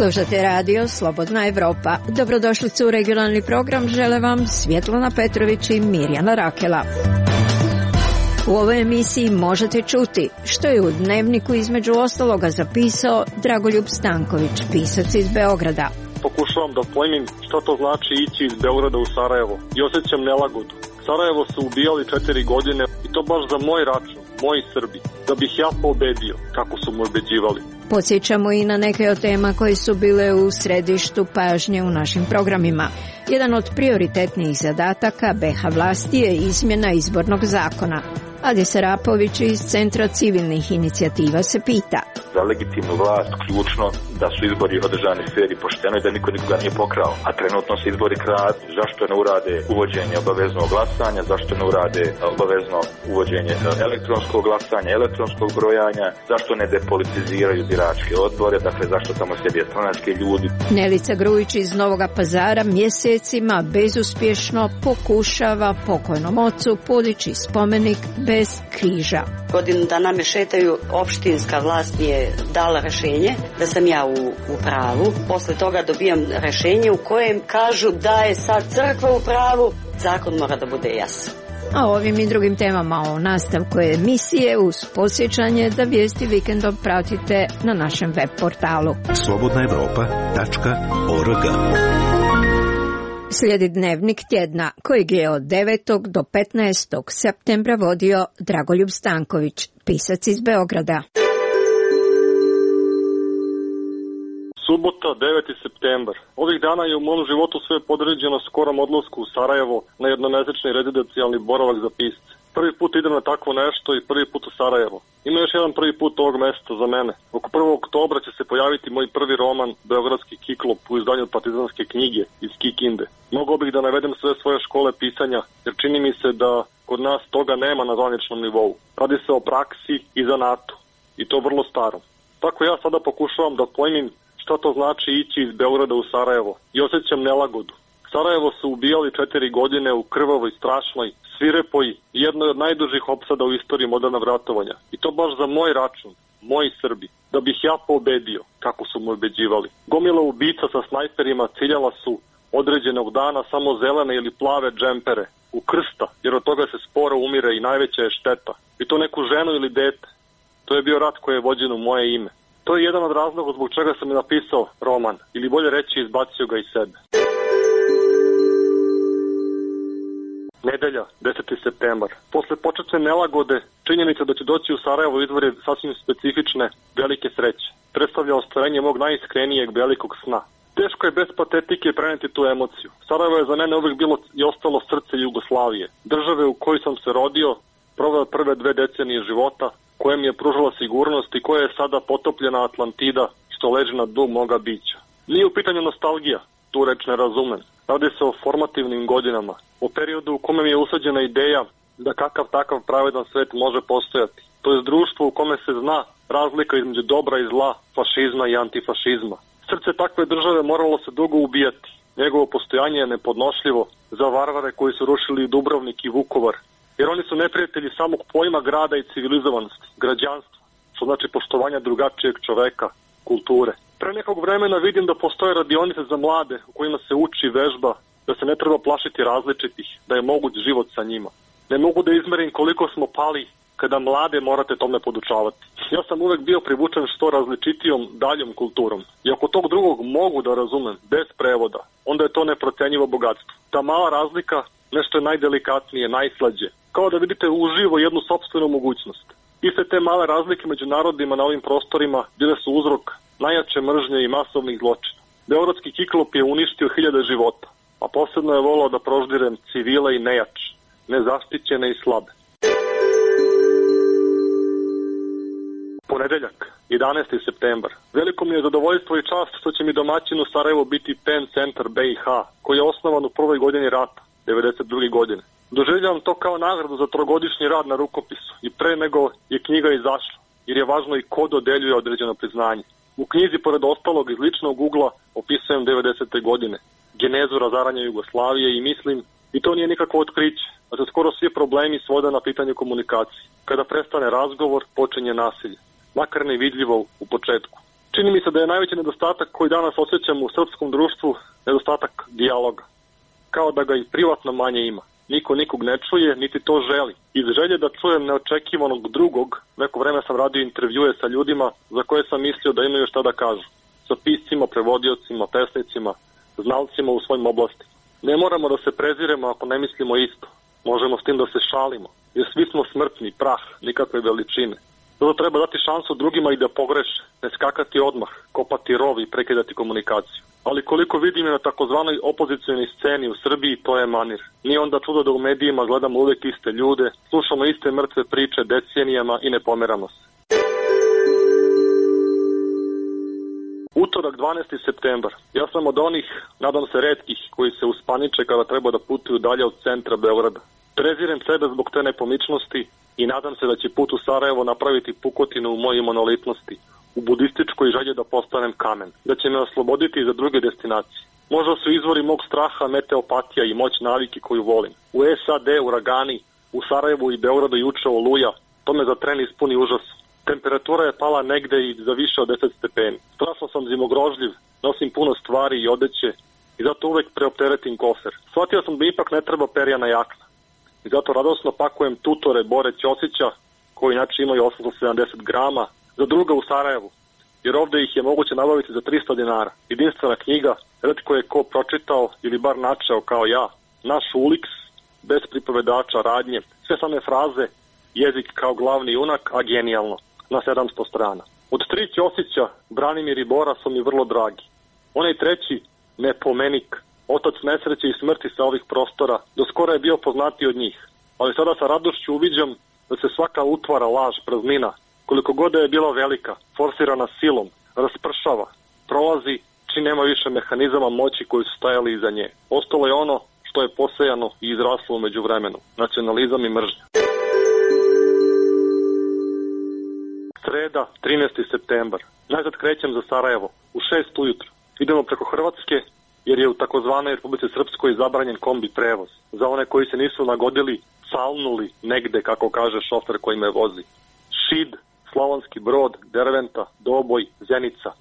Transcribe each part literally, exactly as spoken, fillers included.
Slušate radio Slobodna Evropa. Dobrodošlicu u regionalni program žele vam Svjetlana Petrović i Mirjana Rakela. U ovoj emisiji možete čuti što je u Dnevniku između ostaloga zapisao Dragoljub Stanković, pisac iz Beograda. Pokušavam da pojmim šta to znači ići iz Beograda u Sarajevo i osjećam nelagodu. Sarajevo su ubijali četiri godine i to baš za moj račun, moji Srbi, da bih ja pobedio kako su mu ubeđivali. Podsjećamo i na neke od tema koje su bile u središtu pažnje u našim programima. Jedan od prioritetnijih zadataka be ha vlasti je izmjena izbornog zakona. Adi Sarapović iz Centra civilnih inicijativa se pita. Za legitimnu vlast ključno da su izbori održani fer i pošteno i da niko nikoga nije pokrao. A trenutno se izbori kradu. Zašto ne urade uvođenje obaveznog glasanja, zašto ne urade obavezno uvođenje elektronskog glasanja, elektronskog brojanja, zašto ne depolitiziraju biračke odbore, dakle zašto tamo sjede stranački ljudi. Nelica Grujić iz Novoga Pazara mjesecima bezuspješno pokušava pokojnom ocu podići spomenik bez križa. Godinu dana me šetaju, opštinska vlast mi je dala rješenje da sam ja u, u pravu. Posle toga dobijam rješenje u kojem kažu da je sad crkva u pravu, zakon mora da bude jasan. A ovim i drugim temama o nastavku emisije uz podsjećanje da vijesti vikendom pratite na našem web portalu slobodna evropa tačka org. Slijedi Dnevnik tjedna kojeg je od devetog do petnaestog septembra vodio Dragoljub Stanković, pisac iz Beograda. Subota, deveti septembar. Ovih dana je u mom životu sve podređeno skorom odlasku u Sarajevo na jednomesečni rezidencijalni boravak za pisce. Prvi put idem na takvo nešto i prvi put u Sarajevo. Ima još jedan prvi put ovog mjesta za mene. Oko prvog oktobra će se pojaviti moj prvi roman Beogradski kiklop u izdanju Partizanske knjige iz Kikinde. Mogao bih da navedem sve svoje škole pisanja, jer čini mi se da kod nas toga nema na zvaničnom nivou. Radi se o praksi i zanatu, i to vrlo starom. Tako ja sada pokušavam da pojmim šta to znači ići iz Beograda u Sarajevo i osjećam nelagodu. Sarajevo su ubijali četiri godine u krvavoj, strašnoj, svirepoj i jednoj od najdužih opsada u istoriji modernog ratovanja. I to baš za moj račun, moji Srbi, da bih ja pobedio kako su mu ubeđivali. Gomila ubica sa snajperima ciljala su određenog dana samo zelene ili plave džempere, u krsta, jer od toga se sporo umire i najveća je šteta. I to neku ženu ili dete. To je bio rat koji je vođen u moje ime. To je jedan od razloga zbog čega sam i napisao roman, ili bolje reći izbacio ga iz sebe. Nedelja, deseti septembar. Posle početne nelagode, činjenica da će doći u Sarajevo izvor je sasvim specifične, velike sreće. Predstavlja ostvarenje mog najiskrenijeg velikog sna. Teško je bez patetike preneti tu emociju. Sarajevo je za mene uvijek bilo i ostalo srce Jugoslavije. Države u kojoj sam se rodio, proveo prve dve decenije života, koja mi je pružala sigurnost i koja je sada potopljena Atlantida što leži na dnu moga bića. Nije u pitanju nostalgija, tu reč ne razumem. Radi se o formativnim godinama, o periodu u kome mi je usađena ideja da kakav takav pravedan svet može postojati. To je društvo u kome se zna razlika između dobra i zla, fašizma i antifašizma. Srce takve države moralo se dugo ubijati. Njegovo postojanje je nepodnošljivo za varvare koji su rušili Dubrovnik i Vukovar. Jer oni su neprijatelji samog pojma grada i civilizovanosti, građanstva, što znači poštovanja drugačijeg čoveka, kulture. Pre nekog vremena vidim da postoje radionice za mlade u kojima se uči vežba, da se ne treba plašiti različitih, da je moguć život sa njima. Ne mogu da izmerim koliko smo pali kada mlade morate tome podučavati. Ja sam uvek bio privučen što različitijom daljom kulturom. I ako tog drugog mogu da razumem, bez prevoda, onda je to neprocenjivo bogatstvo. Ta mala razlika nešto je najdelikatnije, najslađe. Kao da vidite uživo jednu sopstvenu mogućnost. Iste te male razlike među narodima na ovim prostorima bile su uzrok najjače mržnje i masovnih zločina. Beogradski kiklop je uništio hiljade života, a posebno je volao da proždirem civile i nejače, nezaštićene i slabe. Ponedeljak, jedanaesti septembar. Veliko mi je zadovoljstvo i čast što će mi domaćin u Sarajevu biti PEN centar be i ha, koji je osnovan u prvoj godini rata, devedeset druge godine. Doživljavam to kao nagradu za trogodišnji rad na rukopisu i pre nego je knjiga izašla, jer je važno i ko dodeljuje određeno priznanje. U knjizi, pored ostalog, iz ličnog ugla opisujem devedesete godine, genezu razaranja Jugoslavije i mislim, i to nije nikakvo otkriće, da se skoro svi problemi svode na pitanje komunikacije. Kada prestane razgovor, počinje nasilje, makar nevidljivo u početku. Čini mi se da je najveći nedostatak koji danas osjećamo u srpskom društvu nedostatak dijaloga. Kao da ga i privatno manje ima. Niko nikog ne čuje, niti to želi. Iz želje da čujem neočekivanog drugog, neko vreme sam radio intervjue sa ljudima za koje sam mislio da imaju šta da kažu. Sa piscima, prevodiocima, pesnicima, znalcima u svojim oblastima. Ne moramo da se preziremo ako ne mislimo isto. Možemo s tim da se šalimo, jer svi smo smrtni, prah, nikakve veličine. Zato treba dati šansu drugima i da pogreše, ne skakati odmah, kopati rov i prekidati komunikaciju. Ali koliko vidim je na takozvanoj opozicionoj sceni u Srbiji, to je manir. Nije onda čudo da u medijima gledamo uvek iste ljude, slušamo iste mrtve priče decenijama i ne pomeramo se. Utorak dvanaesti septembar. Ja sam od onih, nadam se retkih, koji se uspaniče kada treba da putuju dalje od centra Beograda. Prezirem sebe zbog te nepomičnosti i nadam se da će put u Sarajevo napraviti pukotinu u mojoj monolitnosti, u budističkoj želji da postanem kamen, da će me osloboditi za druge destinacije. Možda su izvori mog straha meteopatija i moć navike koju volim. U S A D uragani, u Sarajevu i Beogradu juče oluja, to me za tren ispuni užas. Temperatura je pala negde i za više od deset stepeni. Strašno sam zimogrožljiv, nosim puno stvari i odeće i zato uvek preopteretim kofer. Shvatio sam da ipak ne treba perjana jakna. I zato radosno pakujem tutore Bore Ćosića, koji inače imaju osamsto sedamdeset grama, za druga u Sarajevu, jer ovde ih je moguće nabaviti za trista dinara. Jedinstvena knjiga, retko je ko pročitao ili bar načeo kao ja. Naš Uliks, bez pripovedača, radnje, sve same fraze, jezik kao glavni junak, a genijalno, na sedamsto strana. Od tri Ćosića, Branimir i Bora su mi vrlo dragi. Onaj treći, Nepomenik, otac nesreće i smrti sa ovih prostora, do skora je bio poznatiji od njih. Ali sada sa radošću uviđam da se svaka utvara, laž, praznina, koliko god je bila velika, forsirana silom, raspršava, prolazi, čim nema više mehanizama moći koji su stajali iza nje. Ostalo je ono što je posejano i izraslo umeđu vremenu, nacionalizam i mržnja. Sreda, trinaesti septembar. Najzad krećem za Sarajevo, u šest ujutru. Idemo preko Hrvatske, jer je u takozvanoj Republici Srpskoj zabranjen kombi prevoz. Za one koji se nisu nagodili, salnuli negde, kako kaže šofer koji me vozi. Šid, Slavonski Brod, Derventa, Doboj, Zenica.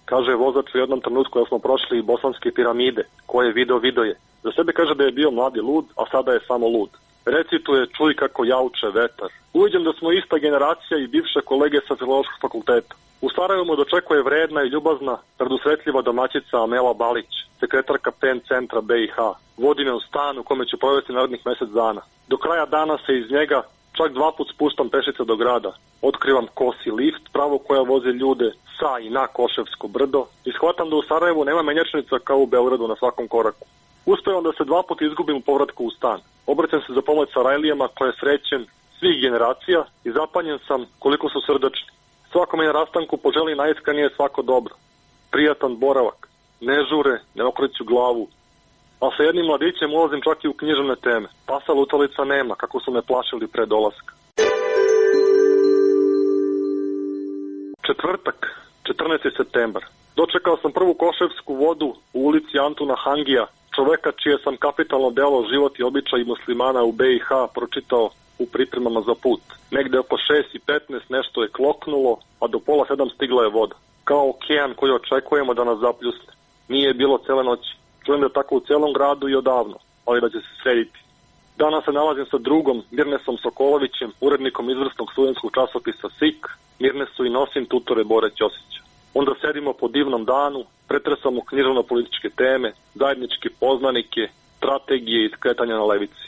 Kaže vozač u jednom trenutku da smo prošli i bosanske piramide, koje video video je. Za sebe kaže da je bio mladi lud, a sada je samo lud. Recituje, čuj kako jauče vetar. Uviđam da smo ista generacija i bivše kolege sa Filološkog fakulteta. U Sarajevu mu dočekuje vredna i ljubazna, predusretljiva domaćica Amela Balić, sekretarka P E N centra B i H. Vodi me u stan u kome ću provesti narednih mesec dana. Do kraja dana se iz njega čak dva put spuštam pešice do grada. Otkrivam kosi lift, pravo koja voze ljude sa i na Koševsko brdo i shvatam da u Sarajevu nema menjačnica kao u Beogradu na svakom koraku. Uspevam da se dva put izgubim u povratku u stan. Obraćam se za pomoć Sarajlijama koje srećem svih generacija i zapanjen sam koliko su srdačni. Svakome na rastanku poželi najiskrenije svako dobro. Prijatan boravak, ne žure, ne okreću glavu. A sa jednim mladićem ulazim čak i u književne teme. Pasa lutalica nema, kako su me plašili pre dolaska. Četvrtak, četrnaesti septembar. Dočekao sam prvu koševsku vodu u ulici Antuna Hangija, čoveka čije sam kapitalno delo Život i običaj muslimana u B i H pročitao u pripremama za put. Negde oko šest i petnaest nešto je kloknulo, a do pola sedam stigla je voda. Kao okean koji očekujemo da nas zapljusne. Nije bilo cele noći. Čujem da je tako u celom gradu i odavno, ali da će se srediti. Danas se nalazim sa drugom, Mirnesom Sokolovićem, urednikom izvrsnog studentskog časopisa S I K. Mirnesu i nosim tutore Bore Ćosića. Onda sedimo po divnom danu, pretresamo književno-političke teme, zajedničke poznanike, strategije i skretanja na levici.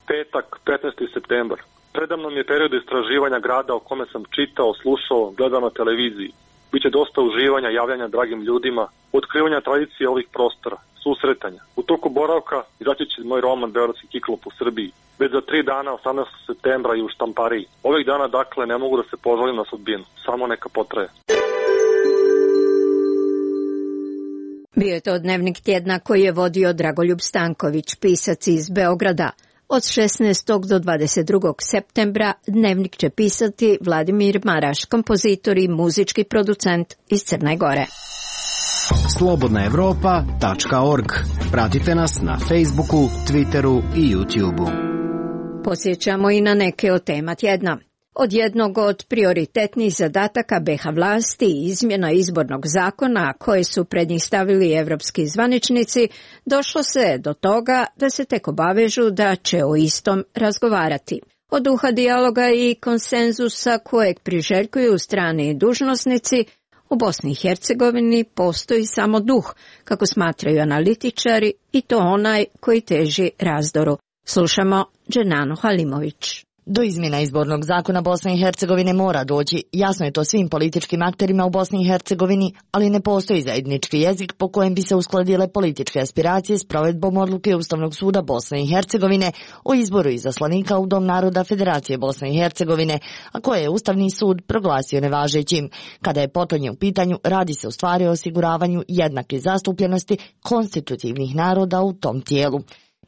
Petak, petnaesti septembar. Predamnom je period istraživanja grada o kome sam čitao, slušao, gledao na televiziji. Biće dosta uživanja, javljanja dragim ljudima, otkrivanja tradicije ovih prostora, susretanja. U toku boravka izaći će moj roman Beogradski kiklop u Srbiji. Već za tri dana, osamnaestog septembra i u štampariji. Ovih dana, dakle, ne mogu da se požalim na sudbinu. Samo neka potraje. Bio je to dnevnik tjedna koji je vodio Dragoljub Stanković, pisac iz Beograda. Od šesnaestog do dvadeset drugog septembra dnevnik će pisati Vladimir Maraš, kompozitor i muzički producent iz Crne Gore. slobodna evropa tačka org. Pratite nas na Facebooku, Twitteru i YouTubeu. Podsjećamo i na neke od tema tjedna. Od jednog od prioritetnih zadataka be ha vlasti i izmjena izbornog zakona koje su pred njih stavili evropski zvaničnici, došlo se do toga da se tek obavežu da će o istom razgovarati. Od duha dijaloga i konsenzusa kojeg priželjkuju strani dužnosnici, u Bosni i Hercegovini postoji samo duh, kako smatraju analitičari, i to onaj koji teži razdoru. Slušamo Dženanu Halimović. Do izmjena izbornog zakona Bosne i Hercegovine mora doći. Jasno je to svim političkim akterima u Bosni i Hercegovini, ali ne postoji zajednički jezik po kojem bi se uskladile političke aspiracije s provedbom odluke Ustavnog suda Bosne i Hercegovine o izboru izaslanika u Dom naroda Federacije Bosne i Hercegovine, a koje je Ustavni sud proglasio nevažećim. Kada je potonje u pitanju, radi se u stvari o osiguravanju jednake zastupljenosti konstitutivnih naroda u tom tijelu.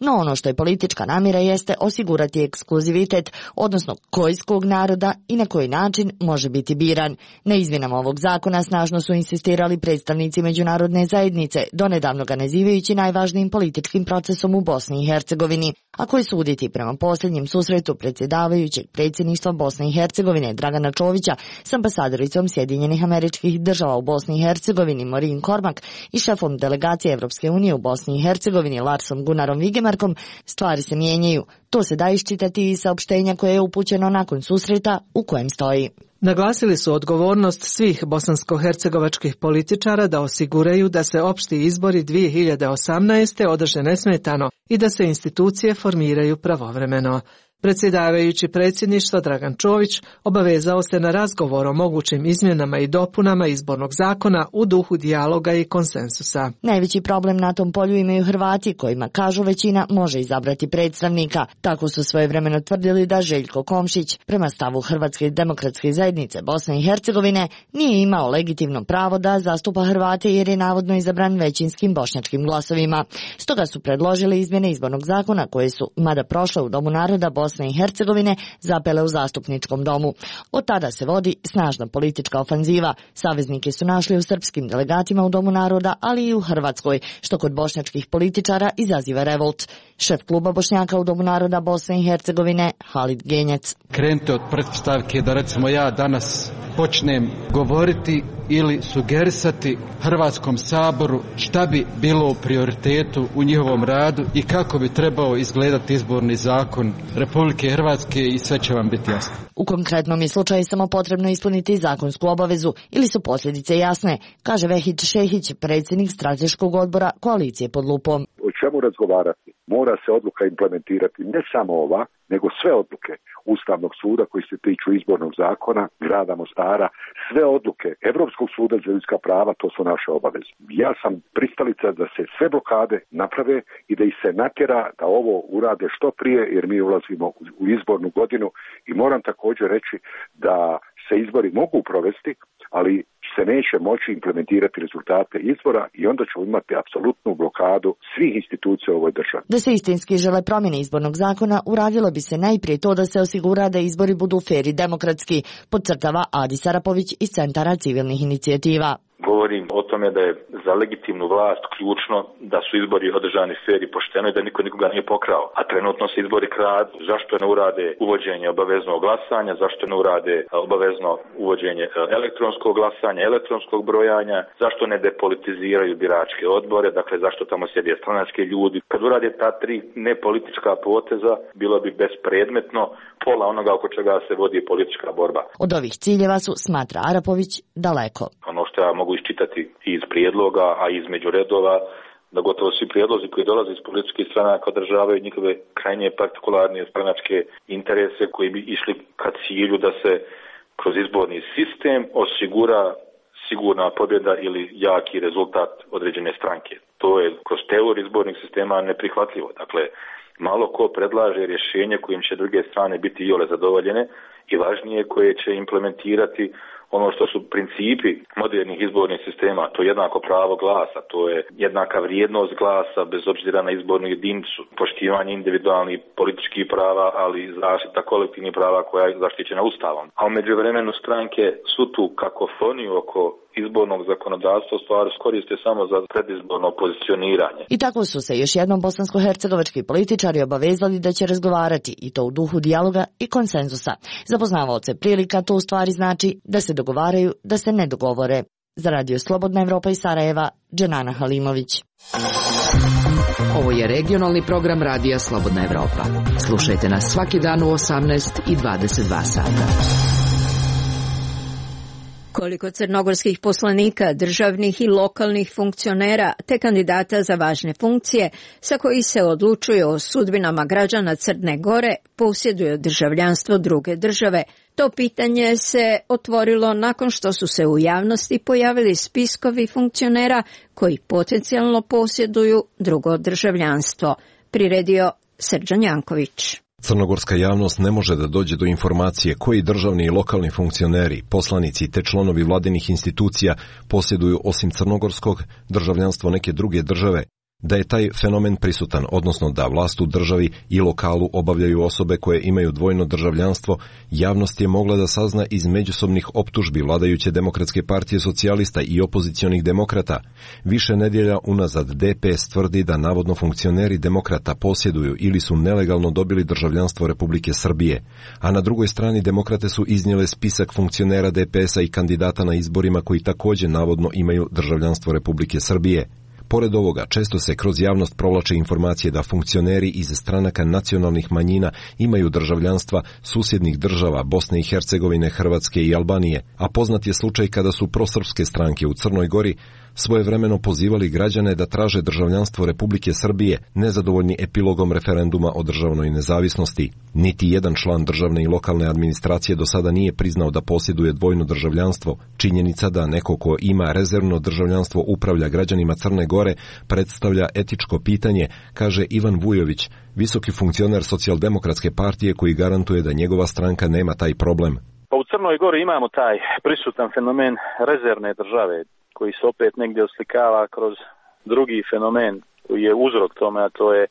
No ono što je politička namjera jeste osigurati ekskluzivitet, odnosno koji iz kog naroda i na koji način može biti biran. Na izmjenama ovog zakona snažno su insistirali predstavnici međunarodne zajednice, donedavno ga nazivajući najvažnijim političkim procesom u Bosni i Hercegovini, a koji suditi prema posljednjem susretu predsjedavajućeg predsjedništva Bosne i Hercegovine Dragana Čovića s ambasadoricom Sjedinjenih Američkih Država u Bosni i Hercegovini Maureen Cormack i šefom delegacije Evropske unije u Bosni i Hercegovini Larsom Gunnarom Vigemarkom, stvari se mijenjaju. To se da iščitati iz saopštenja koje je upućeno nakon susreta u kojem stoji. Naglasili su odgovornost svih bosansko-hercegovačkih političara da osiguraju da se opšti izbori dvije hiljade osamnaeste. održe nesmetano i da se institucije formiraju pravovremeno. Predsjedavajući predsjedništva Dragan Čović obavezao se na razgovor o mogućim izmjenama i dopunama izbornog zakona u duhu dijaloga i konsensusa. Najveći problem na tom polju imaju Hrvati, kojima, kažu, većina može izabrati predstavnika. Tako su svojevremeno tvrdili da Željko Komšić, prema stavu Hrvatske demokratske zajednice Bosne i Hercegovine, nije imao legitimno pravo da zastupa Hrvate jer je navodno izabran većinskim bošnjačkim glasovima. Stoga su predložili izmjene izbornog zakona koje su, mada prošle u Domu naroda Bosne i Hercegovine, zapele u zastupničkom domu. Od tada se vodi snažna politička ofanziva. Saveznike su našli u srpskim delegatima u Domu naroda, ali i u Hrvatskoj, što kod bošnjačkih političara izaziva revolt. Šef kluba Bošnjaka u Domu naroda Bosne i Hercegovine Halid Genjec. Krenite od pretpostavke da recimo ja danas počnem govoriti ili sugerisati Hrvatskom saboru šta bi bilo u prioritetu u njihovom radu i kako bi trebao izgledati izborni zakon Republike Hrvatske, i sve će vam biti jasno. U konkretnom je slučaju samo potrebno ispuniti zakonsku obavezu ili su posljedice jasne, kaže Vehid Šehić, predsjednik strateškog odbora Koalicije pod lupom. O čemu razgovarati? Mora se odluka implementirati, ne samo ova, nego sve odluke Ustavnog suda koji se tiču izbornog zakona, grada Mostara, sve odluke Europskog suda za ljudska prava, to su naše obaveze. Ja sam pristalica da se sve blokade naprave i da ih se natjera da ovo urade što prije, jer mi ulazimo u izbornu godinu i moram također reći da se izbori mogu provesti, ali se neće moći implementirati rezultate izbora i onda ćemo imati apsolutnu blokadu svih institucija u ovoj državi. Da se istinski žele promjene izbornog zakona, uradilo bi se najprije to da se osigura da izbori budu fer i demokratski, podcrtava Adis Arapović iz Centara civilnih inicijativa. Govorim o tome da je za legitimnu vlast ključno da su izbori održani fer i pošteno i da niko nikoga nije pokrao. A trenutno se izbori kradu. Zašto ne urade uvođenje obaveznog glasanja, zašto ne urade obavezno uvođenje elektronskog glasanja, elektronskog brojanja, zašto ne depolitiziraju biračke odbore, dakle zašto tamo sjede stranački ljudi. Kad urade ta tri nepolitička poteza, bilo bi bespredmetno pola onoga oko čega se vodi politička borba. Od ovih ciljeva su, smatra Arapović, daleko. Ono što ja mogu iščitati iz prijedloga, a između redova, da gotovo svi prijedlozi koji dolaze iz političkih stranaka održavaju njihove krajnje partikularne stranačke interese koji bi išli ka cilju da se kroz izborni sistem osigura sigurna pobjeda ili jaki rezultat određene stranke. To je kroz teoriju izbornih sistema neprihvatljivo. Dakle, malo ko predlaže rješenje kojim će druge strane biti iole zadovoljene i važnije koje će implementirati ono što su principi modernih izbornih sistema, to je jednako pravo glasa, to je jednaka vrijednost glasa bez obzira na izbornu jedinicu, poštivanje individualnih političkih prava, ali zaštita kolektivnih prava koja je zaštićena Ustavom. A u međuvremenu stranke su tu kakofoniju oko izbornog zakonodavstva u stvari koriste samo za predizborno pozicioniranje. I tako su se još jednom bosansko-hercegovački političari obavezali da će razgovarati, i to u duhu dijaloga i konsenzusa. Za poznavaoce prilika to u stvari znači da se dogovaraju, da se ne dogovore. Za Radio Slobodna Evropa iz Sarajeva, Dženana Halimović. Ovo je regionalni program Radija Slobodna Evropa. Slušajte nas svaki dan u osamnaest i dvadeset dva sata. Koliko crnogorskih poslanika, državnih i lokalnih funkcionera te kandidata za važne funkcije sa koji se odlučuju o sudbinama građana Crne Gore posjeduju državljanstvo druge države? To pitanje se otvorilo nakon što su se u javnosti pojavili spiskovi funkcionera koji potencijalno posjeduju drugo državljanstvo. Priredio Srđan Janković. Crnogorska javnost ne može da dođe do informacije koji državni i lokalni funkcioneri, poslanici te članovi vladinih institucija posjeduju osim crnogorskog državljanstvo neke druge države. Da je taj fenomen prisutan, odnosno da vlast u državi i lokalu obavljaju osobe koje imaju dvojno državljanstvo, javnost je mogla da sazna iz međusobnih optužbi vladajuće Demokratske partije socijalista i opozicionih demokrata. Više nedjelja unazad D P S tvrdi da navodno funkcioneri demokrata posjeduju ili su nelegalno dobili državljanstvo Republike Srbije, a na drugoj strani demokrate su iznijele spisak funkcionera D P S-a i kandidata na izborima koji također navodno imaju državljanstvo Republike Srbije. Pored ovoga, često se kroz javnost provlače informacije da funkcioneri iz stranaka nacionalnih manjina imaju državljanstva susjednih država Bosne i Hercegovine, Hrvatske i Albanije, a poznat je slučaj kada su prosrpske stranke u Crnoj Gori svojevremeno pozivali građane da traže državljanstvo Republike Srbije, nezadovoljni epilogom referenduma o državnoj nezavisnosti. Niti jedan član državne i lokalne administracije do sada nije priznao da posjeduje dvojno državljanstvo. Činjenica da neko ko ima rezervno državljanstvo upravlja građanima Crne Gore predstavlja etičko pitanje, kaže Ivan Vujović, visoki funkcioner Socijaldemokratske partije koji garantuje da njegova stranka nema taj problem. Pa u Crnoj Gori imamo taj prisutan fenomen rezervne države, koji se opet negdje oslikava kroz drugi fenomen koji je uzrok tome, a to je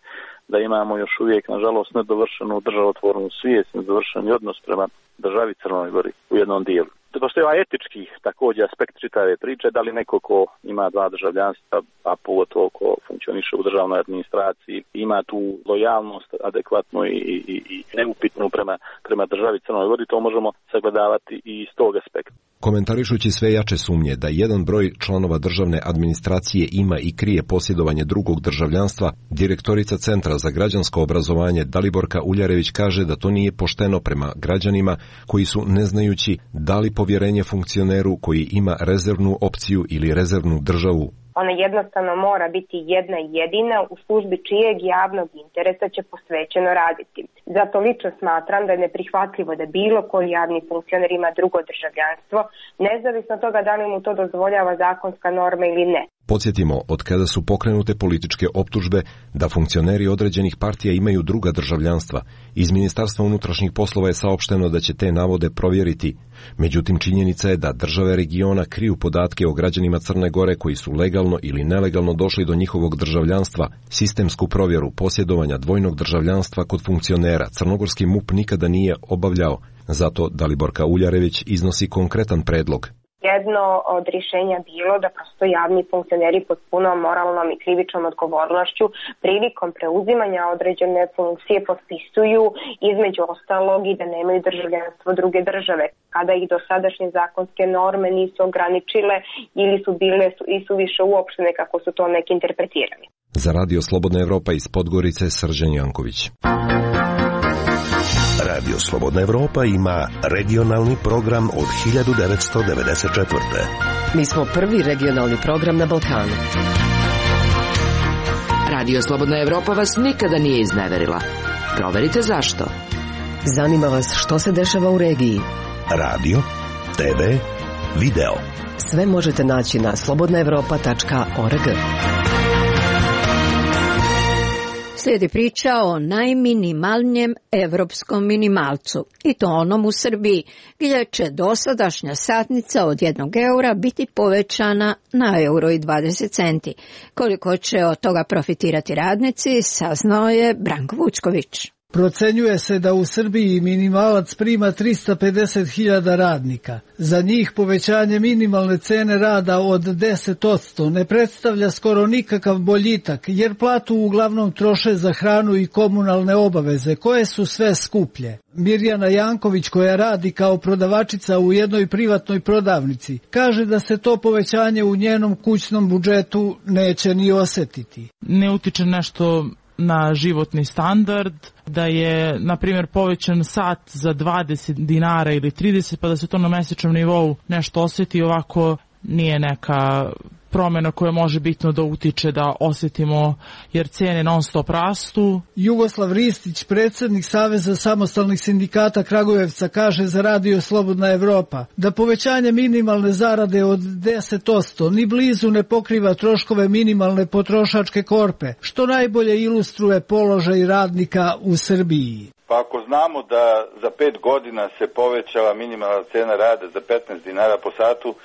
da imamo još uvijek, nažalost, nedovršenu državotvornu svijest, nedovršeni odnos prema državi Crnoj Gori u jednom dijelu. Postoji ovaj etički također aspekt čitave priče, da li neko ko ima dva državljanstva, a pogotovo ko funkcioniše u državnoj administraciji, ima tu lojalnost adekvatnu i, i, i neupitnu prema, prema državi Crnoj Gori, to možemo sagledavati i iz tog aspekta. Komentarišući sve jače sumnje da jedan broj članova državne administracije ima i krije posjedovanje drugog državljanstva, direktorica Centra za građansko obrazovanje Daliborka Uljarević kaže da to nije pošteno prema građanima koji su, ne znajući da li povjerenje funkcioneru koji ima rezervnu opciju ili rezervnu državu. Ona jednostavno mora biti jedna jedina u službi čijeg javnog interesa će posvećeno raditi. Zato lično smatram da je neprihvatljivo da bilo koji javni funkcioner ima drugo državljanstvo, nezavisno od toga da li mu to dozvoljava zakonska norma ili ne. Podsjetimo, od kada su pokrenute političke optužbe da funkcioneri određenih partija imaju druga državljanstva, iz Ministarstva unutrašnjih poslova je saopšteno da će te navode provjeriti. Međutim, činjenica je da države regiona kriju podatke o građanima Crne Gore koji su legalno ili nelegalno došli do njihovog državljanstva. Sistemsku provjeru posjedovanja dvojnog državljanstva kod funkcionera crnogorski M U P nikada nije obavljao. Zato Daliborka Uljarević iznosi konkretan predlog. Jedno od rješenja bilo da prosto javni funkcioneri pod punom moralnom i krivičnom odgovornošću prilikom preuzimanja određene funkcije potpisuju između ostalog i da nemaju državljanstvo druge države, kada ih dosadašnje zakonske norme nisu ograničile ili su bile i su više uopštene kako su to neki interpretirali. Za Radio Slobodna Evropa iz Podgorice, Srđan Janković. Radio Slobodna Evropa ima regionalni program od hiljadu devetsto devedeset četvrte. Mi smo prvi regionalni program na Balkanu. Radio Slobodna Evropa vas nikada nije izneverila. Proverite zašto. Zanima vas što se dešava u regiji. Radio, te ve, video. Sve možete naći na slobodna evropa tačka org. Slijedi priča o najminimalnijem evropskom minimalcu, i to onom u Srbiji, gdje će dosadašnja satnica od jednog eura biti povećana na euro i dvadeset centi. Koliko će od toga profitirati radnici, saznao je Branko Vučković. Procenjuje se da u Srbiji minimalac prima trista pedeset hiljada radnika. Za njih povećanje minimalne cene rada od deset posto ne predstavlja skoro nikakav boljitak, jer platu uglavnom troše za hranu i komunalne obaveze, koje su sve skuplje. Mirjana Janković, koja radi kao prodavačica u jednoj privatnoj prodavnici, kaže da se to povećanje u njenom kućnom budžetu neće ni osjetiti. Ne utiče nešto na životni standard, da je, na primjer, povećan sat za dvadeset dinara ili trideset, pa da se to na mesečnom nivou nešto osjeti, ovako nije neka promjena koja može bitno da utiče da osjetimo, jer cijene non stop rastu. Jugoslav Ristić, predsjednik Saveza samostalnih sindikata Kragujevca, kaže za Radio Slobodna Evropa da povećanje minimalne zarade od deset posto ni blizu ne pokriva troškove minimalne potrošačke korpe, što najbolje ilustruje položaj radnika u Srbiji. Pa ako znamo da za pet godina se povećala minimalna cena rada za petnaest dinara po satu,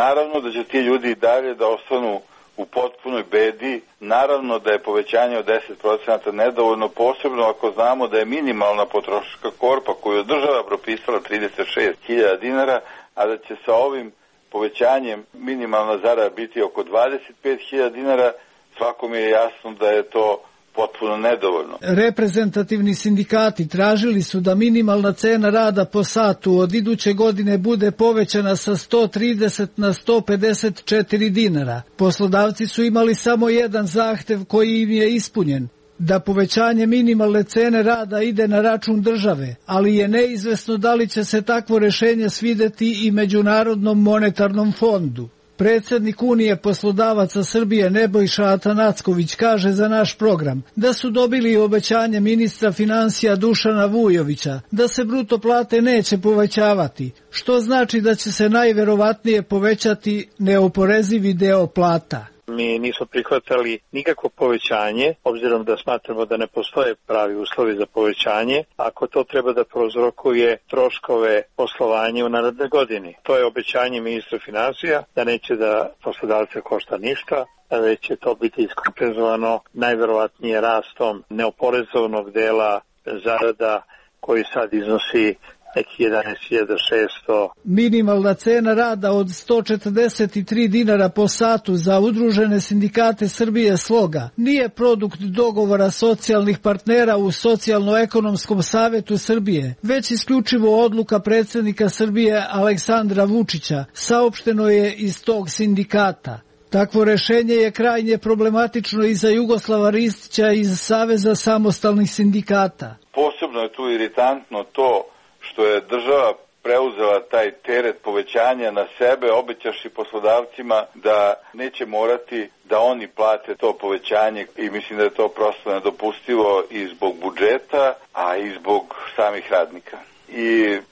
naravno da će ti ljudi i dalje da ostanu u potpunoj bedi, naravno da je povećanje od deset procenata nedovoljno, posebno ako znamo da je minimalna potrošačka korpa koju je država propisala trideset šest hiljada dinara, a da će sa ovim povećanjem minimalna zarada biti oko dvadeset pet hiljada dinara, svakom je jasno da je to potpuno nedovoljno. Reprezentativni sindikati tražili su da minimalna cena rada po satu od iduće godine bude povećana sa sto trideset na sto pedeset četiri dinara. Poslodavci su imali samo jedan zahtev koji im je ispunjen, da povećanje minimalne cene rada ide na račun države, ali je neizvesno da li će se takvo rješenje svideti i Međunarodnom monetarnom fondu. Predsjednik Unije poslodavaca Srbije Nebojša Atanacković kaže za naš program da su dobili obećanje ministra financija Dušana Vujovića da se bruto plate neće povećavati, što znači da će se najverovatnije povećati neoporezivi deo plata. Mi nismo prihvatali nikakvo povećanje, obzirom da smatramo da ne postoje pravi uslovi za povećanje, ako to treba da prouzrokuje troškove poslovanja u narednoj godini. To je obećanje ministra financija, da neće da poslodavce košta ništa, već će to biti iskompenzovano najverovatnije rastom neoporezovnog dela zarada koji sad iznosi neki jedanaest hiljada šesto. Minimalna cena rada od sto četrdeset tri dinara po satu za udružene sindikate Srbije Sloga nije produkt dogovora socijalnih partnera u Socijalno-ekonomskom savetu Srbije, već isključivo odluka predsjednika Srbije Aleksandra Vučića, saopšteno je iz tog sindikata. Takvo rešenje je krajnje problematično i za Jugoslava Ristića iz Saveza samostalnih sindikata. Posebno je tu iritantno to što je država preuzela taj teret povećanja na sebe, obećaši poslodavcima da neće morati da oni plate to povećanje i mislim da je to prosto nedopustivo i zbog budžeta, a i zbog samih radnika. I,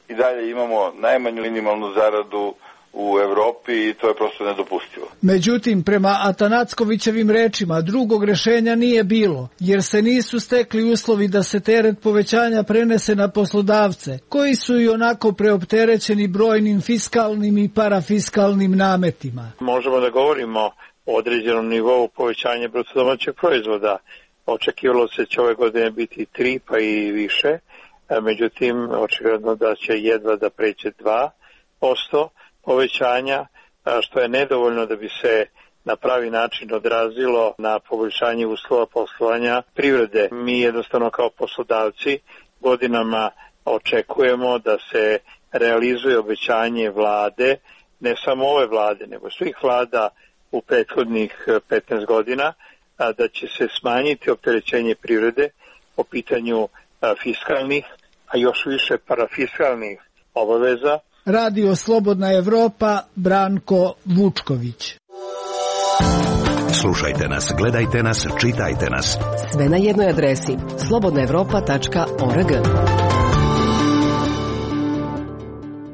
i dalje imamo najmanju minimalnu zaradu u Evropi i to je prosto nedopustivo. Međutim, prema Atanackovićevim rečima, drugog rešenja nije bilo, jer se nisu stekli uslovi da se teret povećanja prenese na poslodavce, koji su i onako preopterećeni brojnim fiskalnim i parafiskalnim nametima. Možemo da govorimo o određenom nivou povećanja bruto domaćeg proizvoda. Očekivalo se će ove godine biti tri pa i više, međutim, očigledno da će jedva da pređe dva posto povećanja, što je nedovoljno da bi se na pravi način odrazilo na poboljšanje uslova poslovanja privrede. Mi jednostavno kao poslodavci godinama očekujemo da se realizuje obećanje vlade, ne samo ove vlade, nego svih vlada u prethodnih petnaest godina, da će se smanjiti opterećenje privrede po pitanju fiskalnih, a još više parafiskalnih obaveza. Radio Slobodna Evropa, Branko Vučković. Slušajte nas, gledajte nas, čitajte nas. Sve na jednoj adresi slobodna evropa tačka org.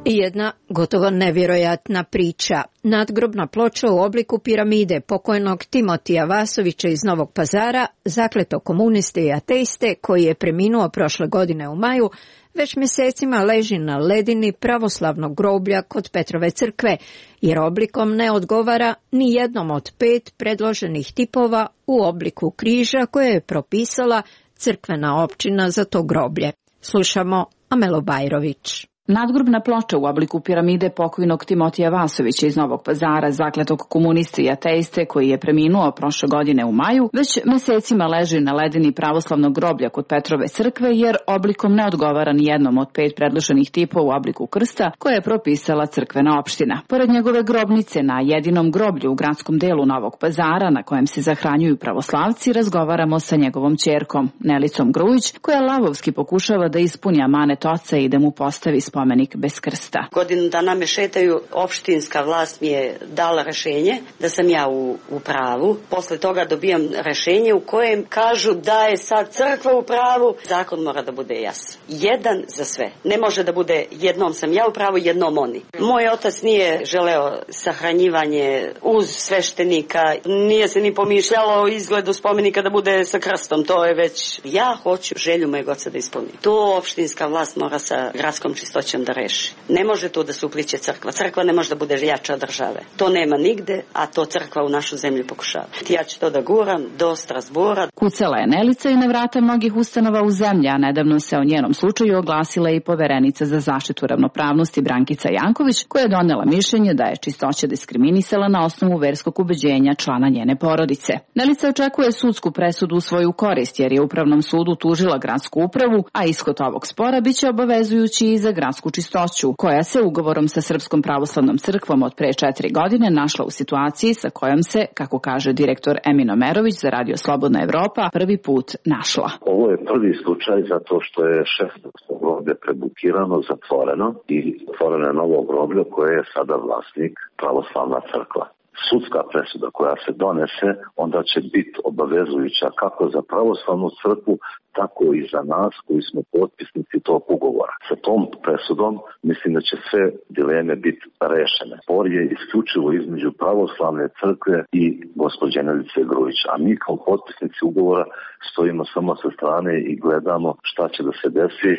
I jedna gotovo nevjerojatna priča. Nadgrobna ploča u obliku piramide pokojnog Timotija Vasovića iz Novog Pazara, zakleto komuniste i ateiste koji je preminuo prošle godine u maju, već mjesecima leži na ledini pravoslavnog groblja kod Petrove crkve, jer oblikom ne odgovara ni jednom od pet predloženih tipova u obliku križa koje je propisala crkvena općina za to groblje. Slušamo Amelu Bajrović. Nadgrobna ploča u obliku piramide pokojnog Timotija Vasovića iz Novog Pazara, zakletog komuniste i ateiste koji je preminuo prošle godine u maju, već mesecima leži na ledini pravoslavnog groblja kod Petrove crkve jer oblikom ne odgovara ni jednom od pet predloženih tipova u obliku krsta koje je propisala crkvena opština. Pored njegove grobnice na jedinom groblju u gradskom delu Novog Pazara na kojem se zahranjuju pravoslavci, razgovaramo sa njegovom ćerkom Nelicom Grujić, koja lavovski pokušava da ispuni amanet oca i da mu postavi spomenik bez krsta. Godinu dana me šetaju, opštinska vlast mi je dala rešenje da sam ja u, u pravu. Posle toga dobijam rešenje u kojem kažu da je sad crkva u pravu. Zakon mora da bude jasan. Jedan za sve. Ne može da bude jednom sam ja u pravu, jednom oni. Moj otac nije želeo sahranjivanje uz sveštenika, nije se ni pomišljalo o izgledu spomenika da bude sa krstom. To je već, ja hoću želju mojeg oca da ispunim. To opštinska vlast mora sa gradskom čistoćom da reši. Ne može to da se upliće crkva. Crkva ne može da bude jača od države. To nema nigde, a to crkva u našu zemlju pokušava. Ja ću to da guram do Strasbura. Kucala je Nelica i na vrata mnogih ustanova u zemlji, a nedavno se o njenom slučaju oglasila i poverenica za zaštitu ravnopravnosti Brankica Janković, koja je donela mišljenje da je čistoća diskriminisala na osnovu verskog ubeđenja člana njene porodice. Nelica očekuje sudsku presudu u svoju korist, jer je Upravnom sudu tužila gradsku upravu, a ishod ovog spora biće obavezujući i za gradsku čistoću, koja se ugovorom sa Srpskom pravoslavnom crkvom od pre četiri godine našla u situaciji sa kojom se, kako kaže direktor Emin Omerović za Radio Slobodna Evropa, prvi put našla. Ovo je prvi slučaj zato što je šesnaesto groblje prebukirano, zatvoreno i otvoreno je novo groblje koje je sada vlasnik pravoslavna crkva. Sudska presuda koja se donese onda će biti obavezujuća kako za pravoslavnu crkvu, tako i za nas koji smo potpisnici tog ugovora. Sa tom presudom mislim da će sve dileme biti rešene. Spor je isključivo između pravoslavne crkve i gospođe Nelice Grujić, a mi kao potpisnici ugovora stojimo samo sa strane i gledamo šta će da se desi,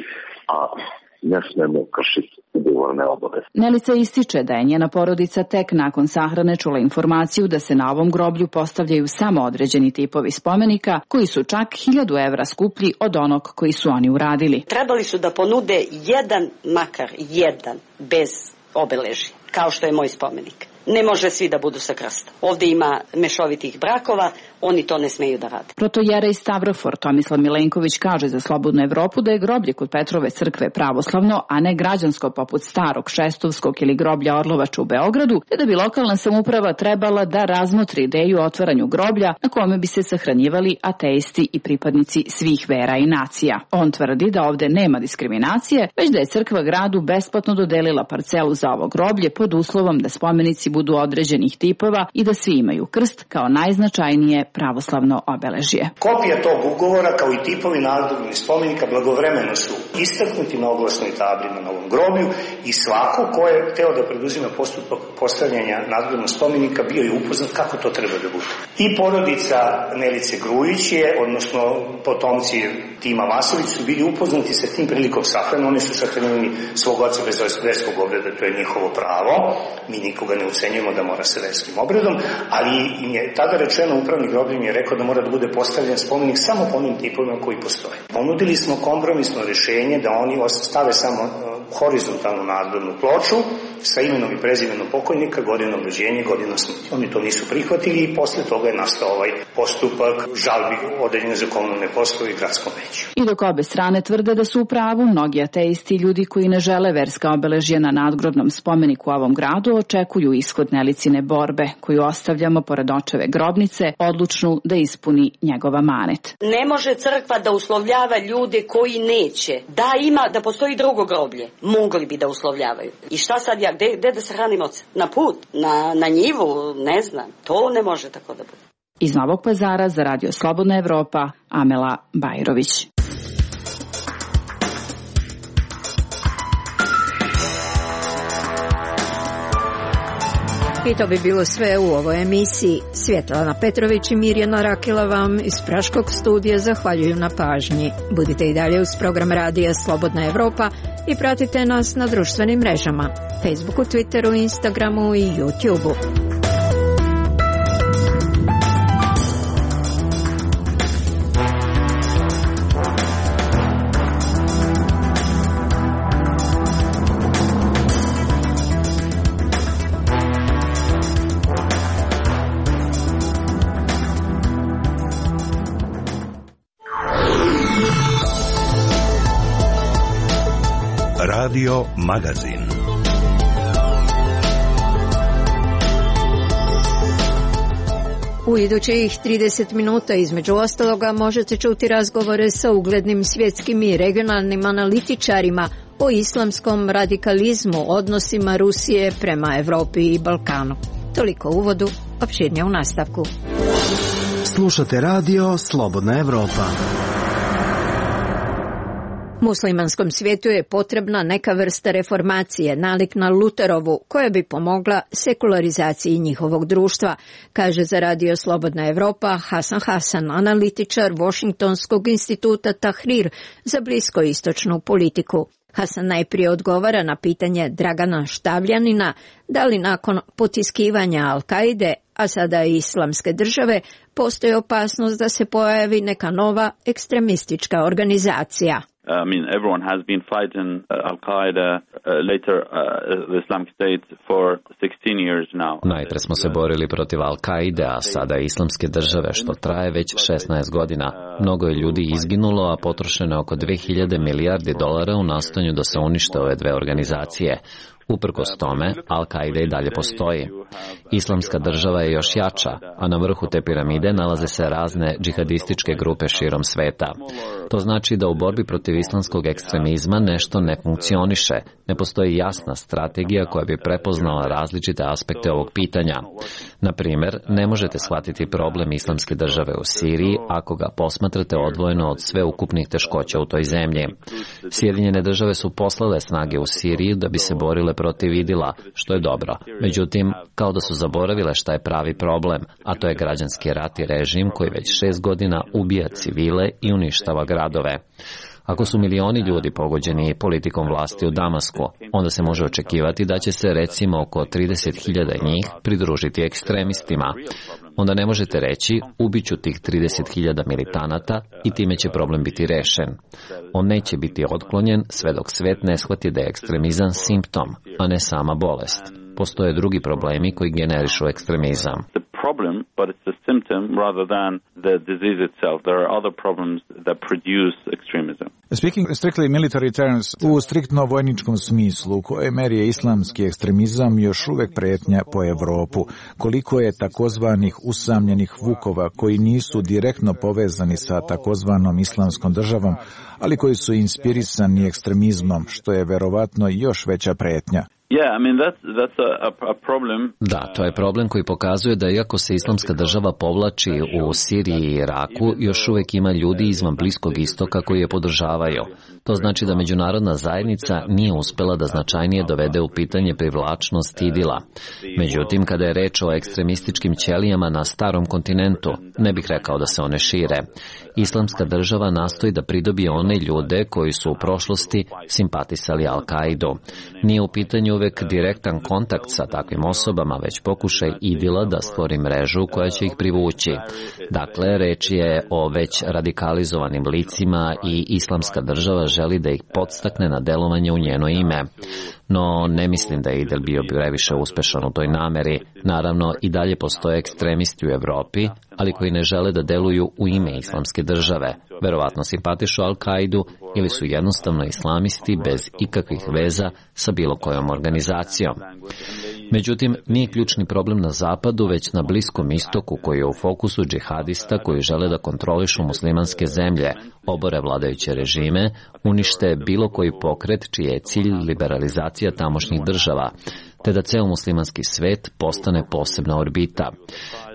a ne smemo kršiti ugovorne obaveze. Nelica ističe da je njena porodica tek nakon sahrane čula informaciju da se na ovom groblju postavljaju samo određeni tipovi spomenika koji su čak hiljadu evra skuplji od onog koji su oni uradili. Trebali su da ponude jedan, makar jedan, bez obeležja, kao što je moj spomenik. Ne može svi da budu sa krstom. Ovde ima mešovitih brakova, oni to ne smeju da rade. Protojerej Stavrofor Tomislav Milenković kaže za Slobodnu Evropu da je groblje kod Petrove crkve pravoslavno, a ne građansko poput starog Šestovskog ili groblja Orlovača u Beogradu, te da bi lokalna samouprava trebala da razmotri ideju o otvaranju groblja na kome bi se sahranjivali ateisti i pripadnici svih vera i nacija. On tvrdi da ovde nema diskriminacije, već da je crkva gradu besplatno dodelila parcelu za ovo groblje pod uslovom da spomenici budu određenih tipova i da svi imaju krst kao najznačajnije pravoslavno obeležje. Kopija tog ugovora kao i tipovi nadgrobnih spomenika blagovremeno su istaknuti na oglasnoj tabli na novom groblju i svako ko je teo da preduzima postupak postavljanja nadgrobnog spomenika bio je upoznat kako to treba da bude. I porodica Nelice Grujić je, odnosno potomci Tima Vasović su bili upoznati sa tim prilikom sahrane. Oni su sahranili svog oca bez verskog obreda, to je njihovo pravo. Mi nikoga ne ucenjujemo da mora sa verskim obredom, ali im je tada rečeno, upravni groblje mi je rekao da mora da bude postavljen spomenik samo po onim tipovima koji postoje. Ponudili smo kompromisno rešenje da oni stave samo horizontalnu nadgrobnu ploču sa imenom i prezimenom pokojnika, godinom rođenja i godinom smrti. Oni to nisu prihvatili i posle toga je nastao ovaj postupak žalbi odeljene za komunalne poslove i gradskom veću. I dok obe strane tvrde da su u pravu, mnogi ateisti i ljudi koji ne žele verska obeležja na nadgrobnom spomeniku u ovom gradu očekuju ishod Nelicine borbe, koju ostavljamo pored očeve grobnice, odlučnu da ispuni njegova manet. Ne može crkva da uslovljava ljude koji neće. Da ima, da postoji drugo groblje. Mogli bi da uslovljavaju. I šta sad ja, gde, gde da se hranim oca? Na put? Na, na njivu? Ne znam. To ne može tako da bude. Iz Novog Pazara za Radio Slobodna Evropa, Amela Bajrović. I to bi bilo sve u ovoj emisiji. Svjetlana Petrović i Mirjana Rakela vam iz Praškog studija zahvaljuju na pažnji. Budite i dalje uz program Radija Slobodna Evropa i pratite nas na društvenim mrežama, Facebooku, Twitteru, Instagramu i YouTubeu. Radio Magazin. U idućih trideset minuta između ostaloga možete čuti razgovore sa uglednim svjetskim i regionalnim analitičarima o islamskom radikalizmu, odnosima Rusije prema Evropi i Balkanu. Toliko u uvodu, opširnije u nastavku. Slušate radio Slobodna Evropa. Muslimanskom svijetu je potrebna neka vrsta reformacije, nalik na Luterovu, koja bi pomogla sekularizaciji njihovog društva, kaže za radio Slobodna Evropa Hasan Hasan, analitičar Washingtonskog instituta Tahrir za bliskoistočnu politiku. Hasan najprije odgovara na pitanje Dragana Štavljanina da li nakon potiskivanja Al-Kaide, a sada i Islamske države, postoji opasnost da se pojavi neka nova ekstremistička organizacija. I mean, everyone has been fighting uh, Al-Qaeda, uh, later uh, the Islamic State for sixteen years now. Najpre smo se borili protiv Al-Kaide, a sada Islamske države, što traje već šesnaest godina. Mnogo je ljudi izginulo, a potrošeno je oko dve hiljade milijardi dolara u nastojanju da se unište ove dve organizacije. Uprkos tome, Al-Kaida i dalje postoji. Islamska država je još jača, a na vrhu te piramide nalaze se razne džihadističke grupe širom sveta. To znači da u borbi protiv islamskog ekstremizma nešto ne funkcioniše, ne postoji jasna strategija koja bi prepoznala različite aspekte ovog pitanja. Na primjer, ne možete shvatiti problem Islamske države u Siriji ako ga posmatrate odvojeno od sveukupnih teškoća u toj zemlji. Sjedinjene države su poslale snage u Siriju da bi se borile protiv Idila, što je dobro. Međutim, kao da su zaboravile šta je pravi problem, a to je građanski rat i režim koji već šest godina ubija civile i uništava gradove. Ako su milioni ljudi pogođeni politikom vlasti u Damasku, onda se može očekivati da će se recimo oko trideset hiljada njih pridružiti ekstremistima. Onda ne možete reći ubiću tih trideset hiljada militanata i time će problem biti rešen. On neće biti otklonjen sve dok svet ne shvati da je ekstremizam simptom, a ne sama bolest. Postoje drugi problemi koji generišu ekstremizam. Problem, but it's a symptom rather than the disease itself. There are other problems that produce extremism. Speaking strictly military terms, u striktno vojničkom smislu, u kojoj meri je islamski ekstremizam još uvek pretnja po Evropu? Koliko je takozvanih usamljenih vukova koji nisu direktno povezani sa takozvanom islamskom državom, ali koji su inspirisani ekstremizmom, što je verovatno još veća pretnja? Yeah, I mean that's that's a, a problem. Da, to je problem koji pokazuje da iako se Islamska država povlači u Siriji i Iraku, još uvek ima ljudi izvan Bliskog istoka koji je podržavaju. To znači da međunarodna zajednica nije uspela da značajnije dovede u pitanje privlačnost Idila. Međutim, kada je reč o ekstremističkim ćelijama na starom kontinentu, ne bih rekao da se one šire. Islamska država nastoji da pridobije one ljude koji su u prošlosti simpatisali Al-Kaidu. Nije u pitanju uvek direktan kontakt sa takvim osobama, već pokušaj Idila da stvori mrežu koja će ih privući. Dakle, reč je o već radikalizovanim licima i Islamska država želi da ih podstakne na delovanje u njeno ime. No, ne mislim da je Idil bio previše uspešan u toj nameri. Naravno, i dalje postoje ekstremisti u Evropi, ali koji ne žele da deluju u ime Islamske države. Verovatno simpatišu Al-Kaidu ili su jednostavno islamisti bez ikakvih veza sa bilo kojom organizacijom. Međutim, nije ključni problem na zapadu, već na Bliskom istoku koji je u fokusu džihadista koji žele da kontrolišu muslimanske zemlje, obore vladajuće režime, unište bilo koji pokret čiji je cilj liberalizacija tamošnjih država, te da ceo muslimanski svet postane posebna orbita.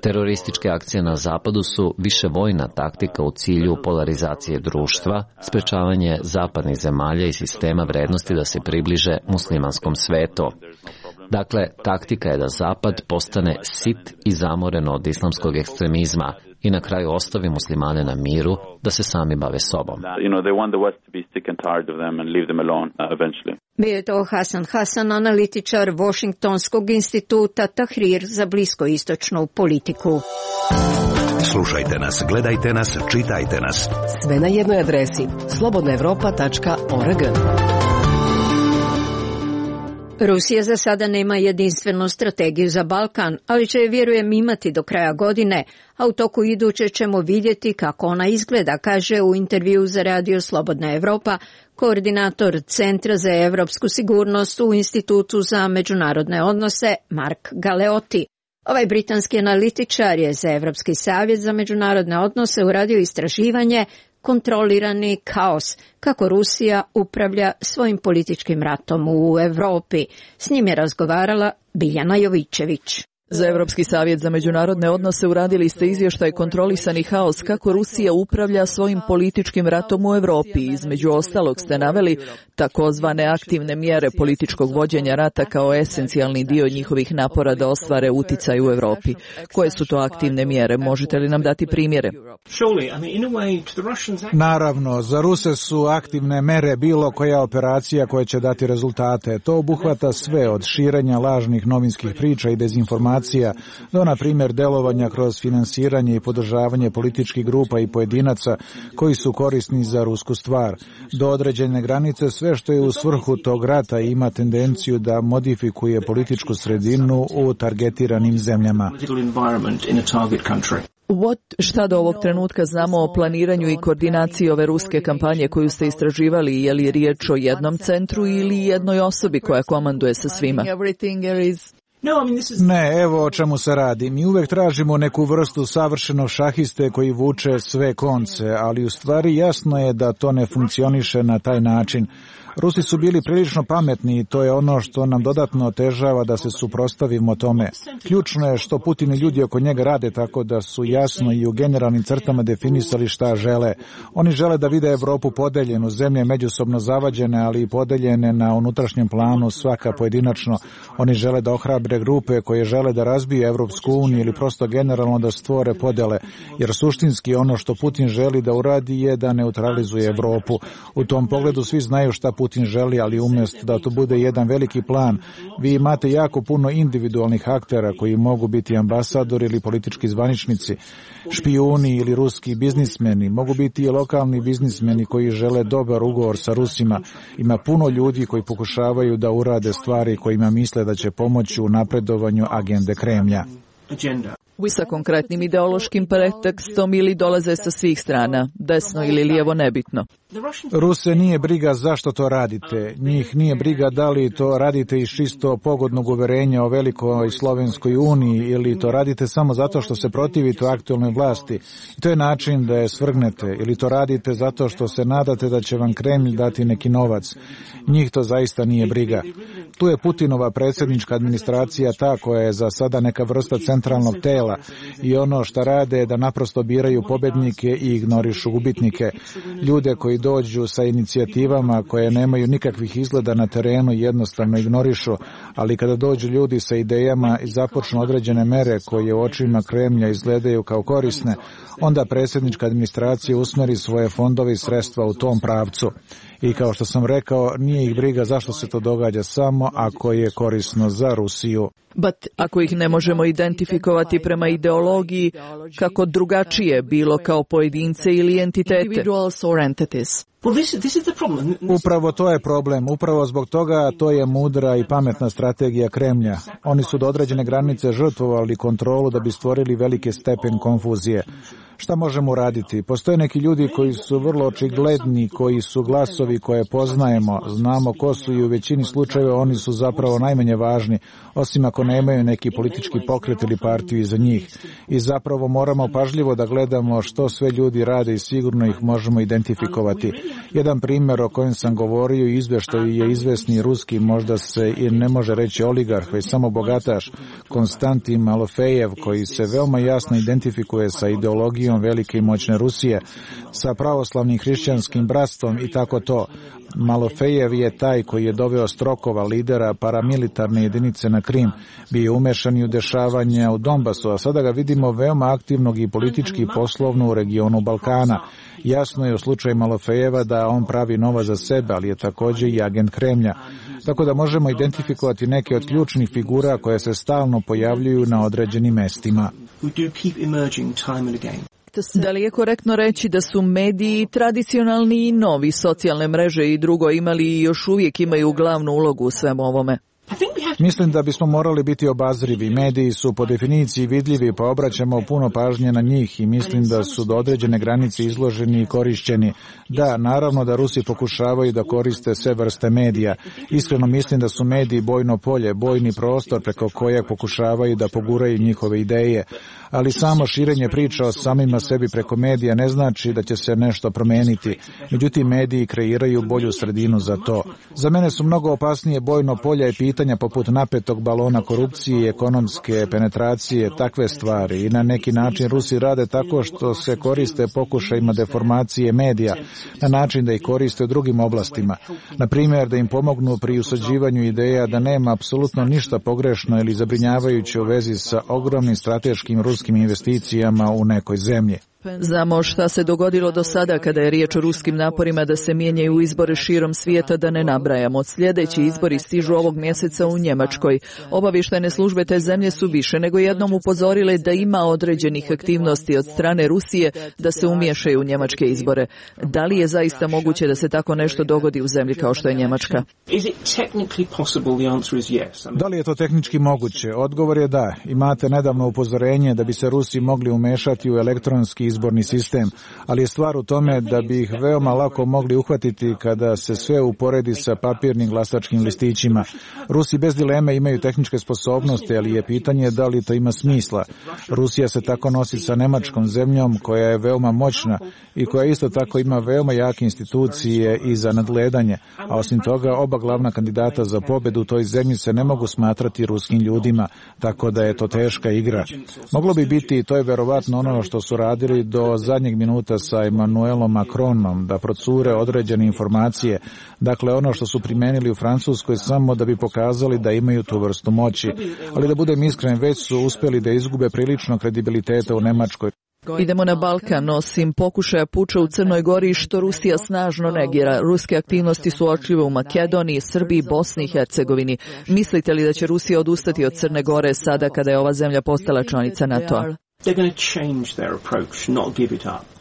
Terorističke akcije na zapadu su više vojna taktika u cilju polarizacije društva, sprečavanje zapadnih zemalja i sistema vrednosti da se približe muslimanskom svetu. Dakle, taktika je da Zapad postane sit i zamoren od islamskog ekstremizma i na kraju ostavi muslimane na miru da se sami bave sobom. Bio je to Hasan Hasan, analitičar Washingtonskog instituta Tahrir za bliskoistočnu politiku. Slušajte nas, gledajte nas, čitajte nas. Sve na jednoj adresi slobodna evropa tačka org. Rusija za sada nema jedinstvenu strategiju za Balkan, ali će je, vjerujem, imati do kraja godine, a u toku iduće ćemo vidjeti kako ona izgleda, kaže u intervju za Radio Slobodna Evropa koordinator Centra za evropsku sigurnost u Institutu za međunarodne odnose Mark Galeotti. Ovaj britanski analitičar je za Evropski savjet za međunarodne odnose uradio istraživanje Kontrolirani kaos, kako Rusija upravlja svojim političkim ratom u Evropi. S njim je razgovarala Biljana Jovićević. Za Evropski savjet za međunarodne odnose uradili ste izvještaj Kontrolisani haos, kako Rusija upravlja svojim političkim ratom u Evropi. Između ostalog ste naveli takozvane aktivne mjere političkog vođenja rata kao esencijalni dio njihovih napora da ostvare uticaj u Evropi. Koje su to aktivne mjere? Možete li nam dati primjere? Naravno, za Ruse su aktivne mere bilo koja operacija koja će dati rezultate. To obuhvata sve od širenja lažnih novinskih priča i dezinformacija do, na primjer, delovanja kroz finansiranje i podržavanje političkih grupa i pojedinaca koji su korisni za rusku stvar. Do određene granice sve što je u svrhu tog rata ima tendenciju da modifikuje političku sredinu u targetiranim zemljama. What, šta do ovog trenutka znamo o planiranju i koordinaciji ove ruske kampanje koju ste istraživali? Je li riječ o jednom centru ili jednoj osobi koja komanduje sa svima? Ne, evo o čemu se radi. Mi uvek tražimo neku vrstu savršenog šahiste koji vuče sve konce, ali u stvari jasno je da to ne funkcioniše na taj način. Rusi su bili prilično pametni i to je ono što nam dodatno otežava da se suprotstavimo tome. Ključno je što Putin i ljudi oko njega rade tako da su jasno i u generalnim crtama definisali šta žele. Oni žele da vide Evropu podeljenu, zemlje međusobno zavađene, ali i podeljene na unutrašnjem planu svaka pojedinačno. Oni žele da ohrabre grupe koje žele da razbiju Evropsku uniju ili prosto generalno da stvore podele, jer suštinski ono što Putin želi da uradi je da neutralizuje Evropu. U tom pogledu svi znaju šta Putin želi, ali umjesto da to bude jedan veliki plan, vi imate jako puno individualnih aktera koji mogu biti ambasadori ili politički zvaničnici, špijuni ili ruski biznismeni, mogu biti i lokalni biznismeni koji žele dobar ugovor sa Rusima. Ima puno ljudi koji pokušavaju da urade stvari kojima misle da će pomoći u napredovanju agende Kremlja. Sa konkretnim ideološkim pretekstom ili dolaze sa svih strana, desno ili lijevo, nebitno. Ruse nije briga zašto to radite. Njih nije briga da li to radite iz čisto pogodnog uverenja o velikoj Slovenskoj uniji ili to radite samo zato što se protivite aktualnoj vlasti. I to je način da je svrgnete, ili to radite zato što se nadate da će vam Kremlj dati neki novac. Njih to zaista nije briga. Tu je Putinova predsjednička administracija ta koja je za sada neka vrsta centralnog tela i ono što rade je da naprosto biraju pobednike i ignorišu gubitnike. Ljude koji dođu sa inicijativama koje nemaju nikakvih izgleda na terenu jednostavno ignorišu, ali kada dođu ljudi sa idejama i započnu određene mere koje u očima Kremlja izgledaju kao korisne, onda predsjednička administracija usmeri svoje fondove i sredstva u tom pravcu. I kao što sam rekao, nije ih briga zašto se to događa samo ako je korisno za Rusiju. But ako ih ne možemo identifikovati prema ideologiji, kako drugačije, bilo kao pojedince ili entitete. Upravo to je problem. Upravo zbog toga to je mudra i pametna strategija Kremlja. Oni su do određene granice žrtvovali kontrolu da bi stvorili veliki stepen konfuzije. Šta možemo raditi? Postoje neki ljudi koji su vrlo očigledni, koji su glasovi koje poznajemo, znamo ko su i u većini slučajeva oni su zapravo najmanje važni, osim ako nemaju neki politički pokret ili partiju iza njih. I zapravo moramo pažljivo da gledamo što sve ljudi rade i sigurno ih možemo identifikovati. Jedan primjer o kojem sam govorio i izvještaju je izvesni ruski, možda se i ne može reći oligarh, već samo bogataš, Konstantin Malofejev, koji se veoma jasno identifikuje sa ideologijom velike i moćne Rusije, sa pravoslavnim hrišćanskim bratstvom i tako to. Malofejev je taj koji je doveo Strokova, lidera paramilitarne jedinice na Krim, bio umešan i u dešavanja u Donbasu, a sada ga vidimo veoma aktivnog i politički i poslovno u regionu Balkana. Jasno je u slučaju Malofejeva da on pravi novac za sebe, ali je također i agent Kremlja. Tako da možemo identifikovati neke od ključnih figura koje se stalno pojavljuju na određenim mestima. Da li je korektno reći da su mediji tradicionalni i novi, socijalne mreže i drugo imali i još uvijek imaju glavnu ulogu u svemu ovome? Mislim da bismo morali biti obazrivi. Mediji su po definiciji vidljivi, pa obraćamo puno pažnje na njih i mislim da su do određene granice izloženi i korišćeni. Da, naravno da Rusi pokušavaju da koriste sve vrste medija. Iskreno mislim da su mediji bojno polje, bojni prostor preko kojeg pokušavaju da poguraju njihove ideje. Ali samo širenje priča o samima sebi preko medija ne znači da će se nešto promeniti. Međutim, mediji kreiraju bolju sredinu za to. Za mene su mnogo opasnije bojno polje i pitanja poput napetog balona korupcije i ekonomske penetracije, takve stvari. I na neki način Rusi rade tako što se koriste pokušajima deformacije medija, na način da ih koriste u drugim oblastima. Na primjer, da im pomognu pri usađivanju ideja da nema apsolutno ništa pogrešno ili zabrinjavajuće u vezi sa ogromnim strateškim ruskim investicijama u nekoj zemlji. Znamo šta se dogodilo do sada kada je riječ o ruskim naporima da se mijenjaju u izbore širom svijeta, da ne nabrajamo. Sljedeći izbori stižu ovog mjeseca u Njemačkoj. Obavještajne službe te zemlje su više nego jednom upozorile da ima određenih aktivnosti od strane Rusije da se umiješaju u njemačke izbore. Da li je zaista moguće da se tako nešto dogodi u zemlji kao što je Njemačka? Da li je to tehnički moguće? Odgovor je da. Imate nedavno upozorenje da bi se Rusi mogli umešati u elektronski izborni sistem, ali je stvar u tome da bi ih veoma lako mogli uhvatiti kada se sve uporedi sa papirnim glasačkim listićima. Rusi bez dileme imaju tehničke sposobnosti, ali je pitanje da li to ima smisla. Rusija se tako nosi sa nemačkom zemljom koja je veoma moćna i koja isto tako ima veoma jake institucije i za nadgledanje, a osim toga oba glavna kandidata za pobedu u toj zemlji se ne mogu smatrati ruskim ljudima, tako da je to teška igra. Moglo bi biti, to je verovatno ono što su radili do zadnjeg minuta sa Emmanuelom Macronom, da procure određene informacije, dakle ono što su primenili u Francuskoj samo da bi pokazali da imaju tu vrstu moći, ali da budem iskren, već su uspjeli da izgube prilično kredibiliteta u Nemačkoj. Idemo na Balkan, osim pokušaja puča u Crnoj Gori što Rusija snažno negira. Ruske aktivnosti su očljive u Makedoniji, Srbiji, Bosni i Hercegovini. Mislite li da će Rusija odustati od Crne Gore sada kada je ova zemlja postala članica NATO-a?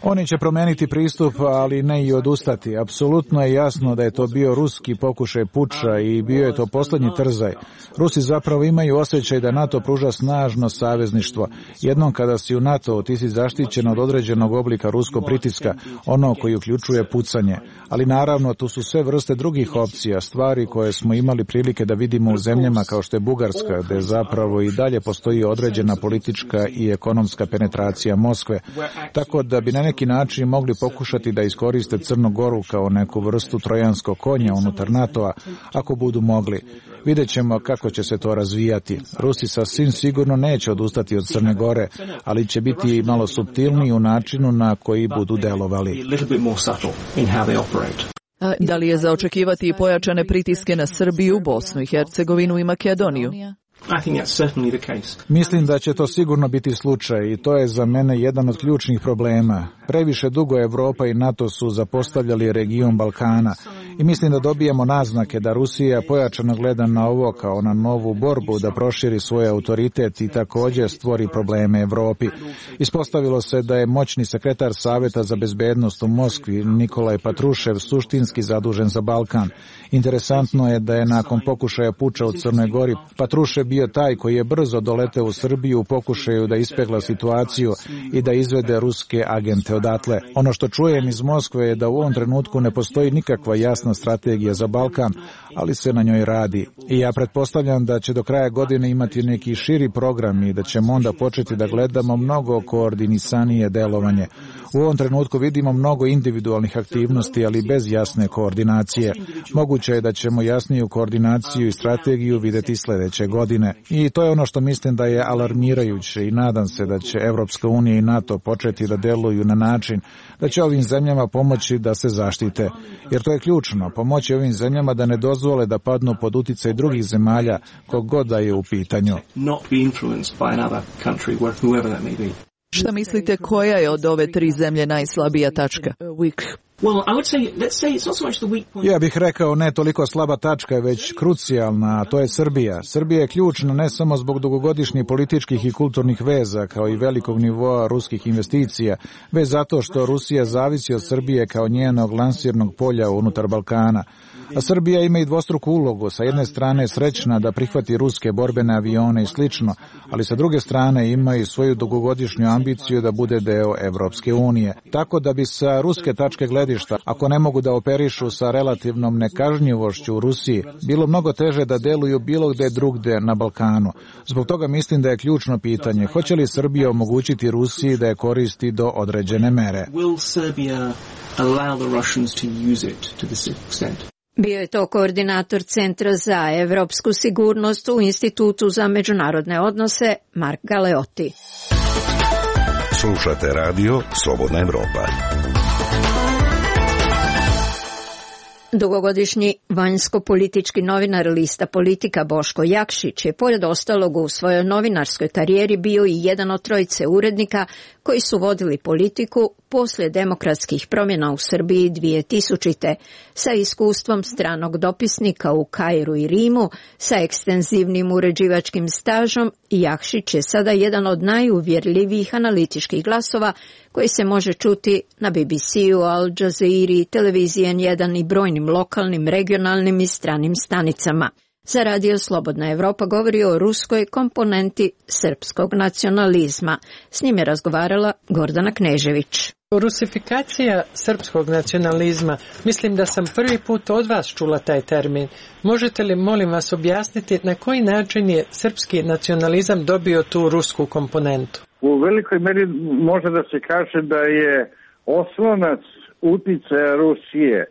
Oni će promijeniti pristup, ali ne i odustati. Apsolutno je jasno da je to bio ruski pokušaj puča i bio je to posljednji trzaj. Rusi zapravo imaju osjećaj da NATO pruža snažno savezništvo. Jednom kada si u NATO, ti si zaštićen od određenog oblika ruskog pritiska, ono koji uključuje pucanje. Ali naravno, tu su sve vrste drugih opcija, stvari koje smo imali prilike da vidimo u zemljama kao što je Bugarska, gde zapravo i dalje postoji određena politička i ekonomska penetracija Moskve. Tako da bi na neki način mogli pokušati da iskoriste Crnu Goru kao neku vrstu trojanskog konja unutar NATO-a, ako budu mogli. Vidjet ćemo kako će se to razvijati. Rusi sasvim sigurno neće odustati od Crne Gore, ali će biti malo suptilniji u načinu na koji budu delovali. Da li je za očekivati i pojačane pritiske na Srbiju, Bosnu i Hercegovinu i Makedoniju? Mislim da će to sigurno biti slučaj i to je za mene jedan od ključnih problema. Previše dugo Evropa i NATO su zapostavljali region Balkana i mislim da dobijemo naznake da Rusija pojačano gleda na ovo kao na novu borbu da proširi svoj autoritet i također stvori probleme Evropi. Ispostavilo se da je moćni sekretar Saveta za bezbednost u Moskvi, Nikolaj Patrušev, suštinski zadužen za Balkan. Interesantno je da je nakon pokušaja puča u Crnoj Gori Patrušev bio taj koji je brzo doleteo u Srbiju u pokušaju da ispegla situaciju i da izvede ruske agente odatle. Ono što čujem iz Moskve je da u ovom trenutku ne postoji nikakva jasna strategija za Balkan, ali se na njoj radi. I ja pretpostavljam da će do kraja godine imati neki širi program i da ćemo onda početi da gledamo mnogo koordinisanije delovanje. U ovom trenutku vidimo mnogo individualnih aktivnosti, ali bez jasne koordinacije. Moguće je da ćemo jasniju koordinaciju i strategiju vidjeti sljedeće godine. I to je ono što mislim da je alarmirajuće i nadam se da će Evropska unija i NATO početi da deluju na način da će ovim zemljama pomoći da se zaštite. Jer to je ključno, pomoći ovim zemljama da ne dozvole da padnu pod uticaj drugih zemalja kogod da je u pitanju. Šta mislite, koja je od ove tri zemlje najslabija tačka? Ja bih rekao ne toliko slaba tačka, već krucijalna, a to je Srbija. Srbija je ključna ne samo zbog dugogodišnjih političkih i kulturnih veza, kao i velikog nivoa ruskih investicija, već zato što Rusija zavisi od Srbije kao njenog lansirnog polja unutar Balkana. A Srbija ima i dvostruku ulogu, sa jedne strane srećna da prihvati ruske borbene avione i slično, ali sa druge strane ima i svoju dugogodišnju ambiciju da bude deo Evropske unije. Tako da bi sa ruske tačke gledišta, ako ne mogu da operišu sa relativnom nekažnjivošću u Rusiji, bilo mnogo teže da deluju bilo gde drugde na Balkanu. Zbog toga mislim da je ključno pitanje, hoće li Srbija omogućiti Rusiji da je koristi do određene mere. Bio je to koordinator Centra za evropsku sigurnost u Institutu za međunarodne odnose Mark Galeotti. Slušate radio Slobodna Evropa. Dugogodišnji vanjsko-politički novinar lista Politika Boško Jakšić je pored ostalog u svojoj novinarskoj karijeri bio i jedan od trojice urednika koji su vodili politiku poslije demokratskih promjena u Srbiji dvije tisućite. Sa iskustvom stranog dopisnika u Kairu i Rimu, sa ekstenzivnim uređivačkim stažom, Jakšić je sada jedan od najuvjerljivijih analitičkih glasova koji se može čuti na B B C-u, Al Jazeera, televiziji N jedan i brojnim lokalnim, regionalnim i stranim stanicama. Za radio Slobodna Evropa govori o ruskoj komponenti srpskog nacionalizma. S njim je razgovarala Gordana Knežević. Rusifikacija srpskog nacionalizma, mislim da sam prvi put od vas čula taj termin. Možete li, molim vas, objasniti na koji način je srpski nacionalizam dobio tu rusku komponentu? U velikoj meri može da se kaže da je oslonac uticaja Rusije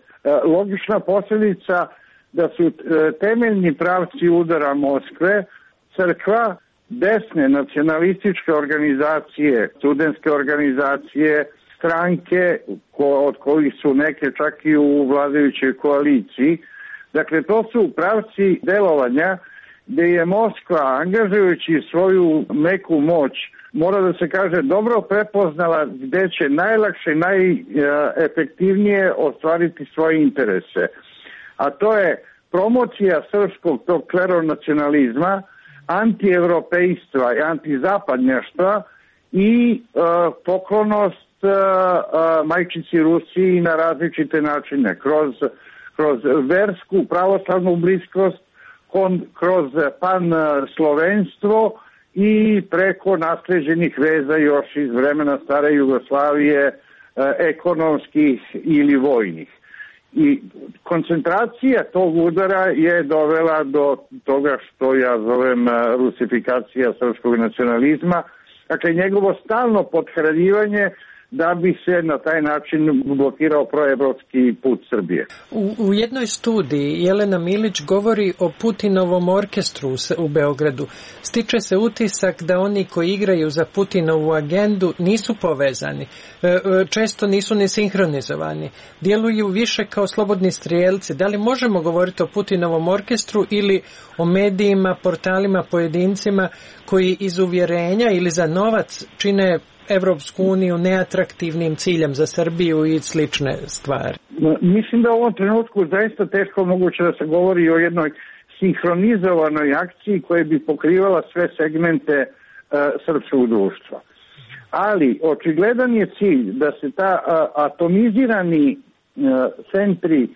logična posljedica da su temeljni pravci udara Moskve, crkva, desne nacionalističke organizacije, studentske organizacije, stranke od kojih su neke čak i u vladajućoj koaliciji. Dakle, to su pravci delovanja gdje je Moskva, angažujući svoju meku moć, mora da se kaže, dobro prepoznala gdje će najlakše i najefektivnije ostvariti svoje interese. A to je promocija srpskog tog kleronacionalizma, antievropejstva i antizapadnjaštva i uh, poklonost uh, uh, majčici Rusiji na različite načine, kroz, kroz versku pravoslavnu bliskost, kon, kroz pan-slovenstvo i preko nasleđenih veza još iz vremena stare Jugoslavije, uh, ekonomskih ili vojnih. I koncentracija tog udara je dovela do toga što ja zovem rusifikacija srpskog nacionalizma, dakle njegovo stalno pothranjivanje da bi se na taj način blokirao proevropski put Srbije. U, u jednoj studiji Jelena Milić govori o Putinovom orkestru u Beogradu. Stiče se utisak da oni koji igraju za Putinovu agendu nisu povezani, često nisu ni sinhronizovani, djeluju više kao slobodni strijelci. Da li možemo govoriti o Putinovom orkestru ili o medijima, portalima, pojedincima koji iz uvjerenja ili za novac čine Evropsku uniju neatraktivnim ciljem za Srbiju i slične stvari? Mislim da u ovom trenutku zaista teško moguće da se govori o jednoj sinhronizovanoj akciji koja bi pokrivala sve segmente uh, srpskog društva. Ali očigledan je cilj da se ta uh, atomizirani uh, centri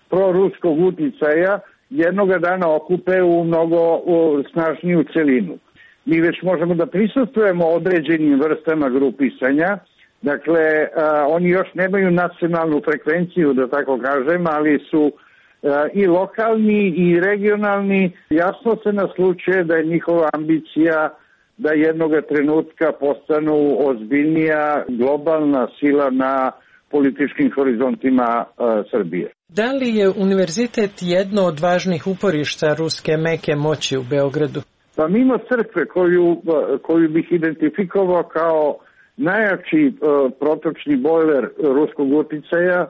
proruskog uticaja jednoga dana okupe u mnogo uh, snažniju celinu. Mi već možemo da prisustujemo određenim vrstama grupisanja, dakle, a, oni još nemaju nacionalnu frekvenciju, da tako kažem, ali su a, i lokalni i regionalni. Jasno se naslučuje da je njihova ambicija da jednoga trenutka postanu ozbiljnija globalna sila na političkim horizontima a, Srbije. Da li je univerzitet jedno od važnih uporišta ruske meke moći u Beogradu? Pa mimo crkve koju, koju bih identifikovao kao najjači uh, protočni bojler ruskog uticaja,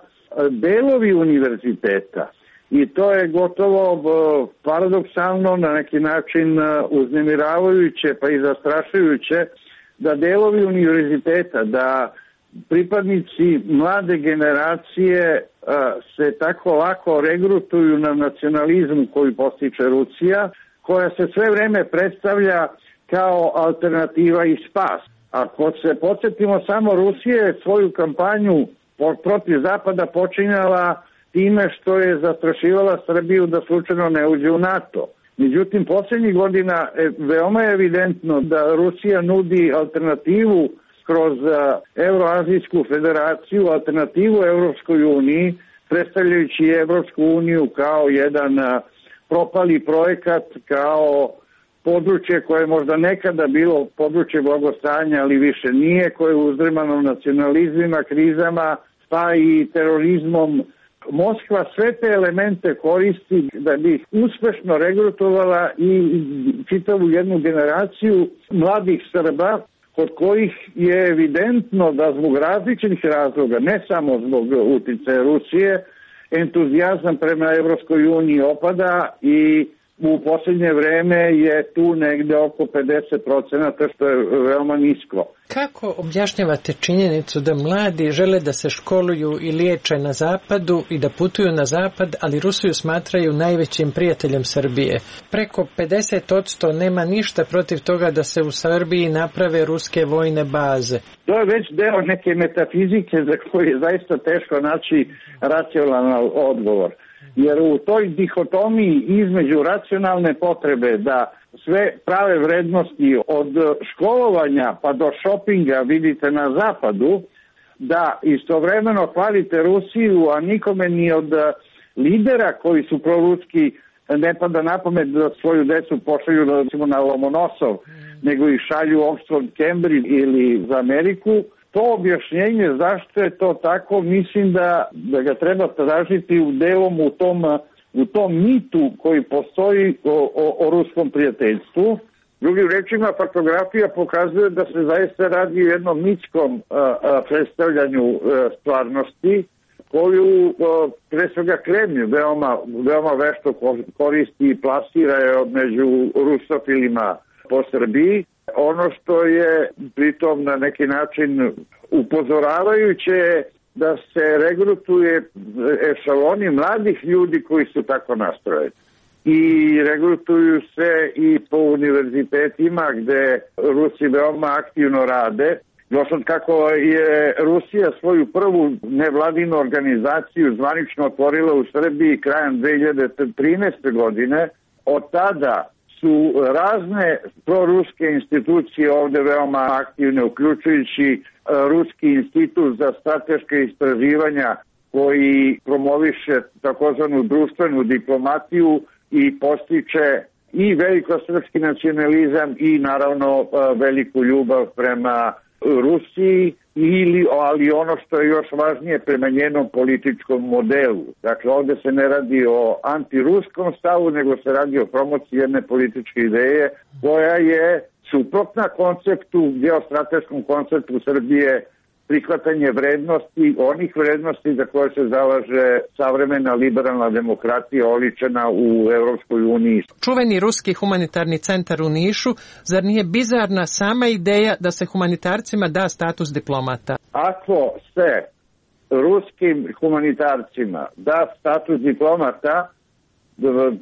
delovi univerziteta, i to je gotovo uh, paradoksalno, na neki način uh, uznemiravajuće pa i zastrašujuće, da delovi univerziteta, da pripadnici mlade generacije uh, se tako lako regrutuju na nacionalizmu koji postiče Rusija, koja se sve vreme predstavlja kao alternativa i spas. Ako se podsjetimo samo, Rusija je svoju kampanju protiv Zapada počinjala time što je zastrašivala Srbiju da slučajno ne uđe u NATO. Međutim, posljednjih godina veoma je evidentno da Rusija nudi alternativu kroz Evroazijsku federaciju, alternativu Evropskoj uniji, predstavljajući Evropsku uniju kao jedan propali projekat, kao područje koje je možda nekada bilo područje blagostanja, ali više nije, koje je uzdrmano nacionalizmima, krizama, pa i terorizmom. Moskva sve te elemente koristi da bi ih uspešno regrutovala i čitavu jednu generaciju mladih Srba, kod kojih je evidentno da zbog različitih razloga, ne samo zbog uticaja Rusije, entuzijazam prema Evropskoj uniji opada i u posljednje vreme je tu negde oko pedeset procenata, što je veoma nisko. Kako objašnjavate činjenicu da mladi žele da se školuju i liječe na zapadu i da putuju na zapad, ali Rusiju smatraju najvećim prijateljem Srbije? Preko pedeset posto nema ništa protiv toga da se u Srbiji naprave ruske vojne baze. To je već deo neke metafizike za koju je zaista teško naći racionalan odgovor. Jer u toj dihotomiji između racionalne potrebe da sve prave vrednosti od školovanja pa do šopinga vidite na zapadu, da istovremeno hvalite Rusiju, a nikome ni od lidera koji su proruski ne pada na pamet da svoju decu pošalju recimo na Lomonosov, nego ih šalju u Oxford, Cambridge ili za Ameriku. To objašnjenje zašto je to tako, mislim da, da ga treba tražiti u delom u tom, u tom mitu koji postoji o, o, o ruskom prijateljstvu. Drugim rečima, faktografija pokazuje da se zaista radi o jednom mitskom a, a, predstavljanju a, stvarnosti, koju a, pre svega Kremlj veoma, veoma vešto koristi i plasira je među rusofilima po Srbiji. Ono što je pritom na neki način upozoravajuće je da se regrutuje ešaloni mladih ljudi koji su tako nastrojeni. I regrutuju se i po univerzitetima gde Rusi veoma aktivno rade. Još od kako je Rusija svoju prvu nevladinu organizaciju zvanično otvorila u Srbiji krajem dve hiljade trinaeste. godine, od tada su razne proruske institucije ovde veoma aktivne, uključujući Ruski institut za strateške istraživanja koji promoviše takozvanu društvenu diplomatiju i postiče i velikosrpski nacionalizam i naravno veliku ljubav prema Rusiji, ili, ali ono što je još važnije, prema njenom političkom modelu. Dakle, ovde se ne radi o antiruskom stavu, nego se radi o promociji jedne političke ideje koja je suprotna konceptu, geostrateškom konceptu Srbije, prihvatanje vrednosti, onih vrednosti za koje se zalaže savremena liberalna demokratija oličena u Evropskoj uniji. Čuveni ruski humanitarni centar u Nišu, zar nije bizarna sama ideja da se humanitarcima da status diplomata? Ako se ruskim humanitarcima da status diplomata,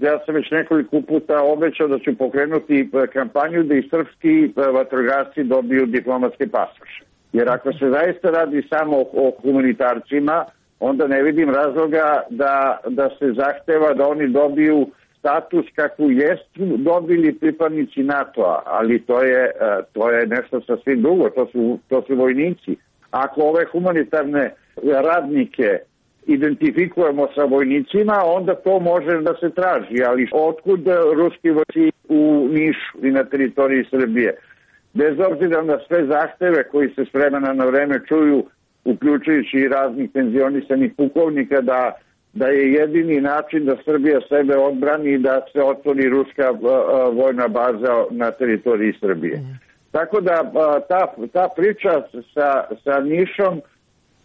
ja sam već nekoliko puta obećao da ću pokrenuti kampanju da i srpski vatrogasci dobiju diplomatske pasoše. Jer ako se zaista radi samo o humanitarcima, onda ne vidim razloga da, da se zahteva da oni dobiju status kakvu jesu dobili pripadnici NATO-a, ali to je, to je nešto sasvim drugo, to su, to su vojnici. Ako ove humanitarne radnike identifikujemo sa vojnicima, onda to može da se traži, ali otkud ruski vojnici u Nišu i na teritoriji Srbije? Bez obzira na sve zahteve koji se s vremena na vreme čuju, uključujući i raznih penzionisanih pukovnika, da, da je jedini način da Srbija sebe odbrani i da se otvori ruska a, a, vojna baza na teritoriji Srbije. Mm. Tako da a, ta, ta priča sa, sa Nišom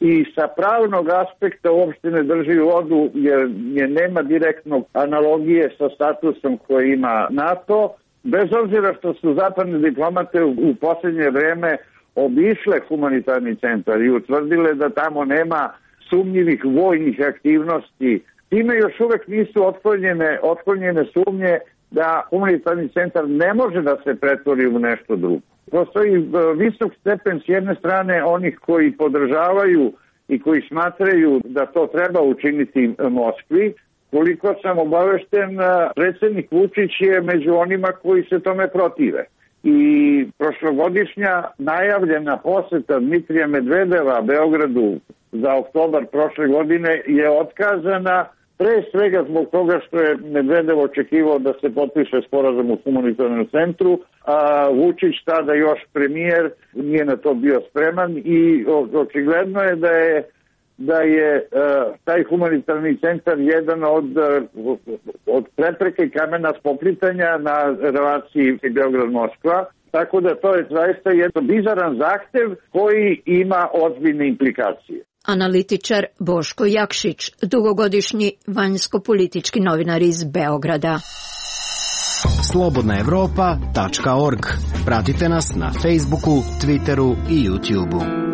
i sa pravnog aspekta uopšte ne drži vodu, jer je nema direktnog analogije sa statusom koji ima NATO, bez obzira što su zapadne diplomate u, u posljednje vreme obišle humanitarni centar i utvrdile da tamo nema sumnjivih vojnih aktivnosti. Time još uvek nisu otklonjene, otklonjene sumnje da humanitarni centar ne može da se pretvori u nešto drugo. Postoji visok stepen s jedne strane onih koji podržavaju i koji smatraju da to treba učiniti Moskvi. Koliko sam obavešten, predsjednik Vučić je među onima koji se tome protive. I prošlogodišnja najavljena poseta Dmitrija Medvedeva Beogradu za oktobar prošle godine je otkazana pre svega zbog toga što je Medvedev očekivao da se potpiše sporazum u humanitarnom centru, a Vučić, tada još premijer, nije na to bio spreman i očigledno je da je da je uh, taj humanitarni centar jedan od, uh, od prepreke i kamena spoplitanja na relaciji Beograd-Moskva, tako da to je zaista jedan bizaran zahtev koji ima ozbiljne implikacije. Analitičar Boško Jakšić, dugogodišnji vanjsko-politički novinar iz Beograda. slobodna evropa tačka org. Pratite nas na Facebooku, Twitteru i YouTubeu.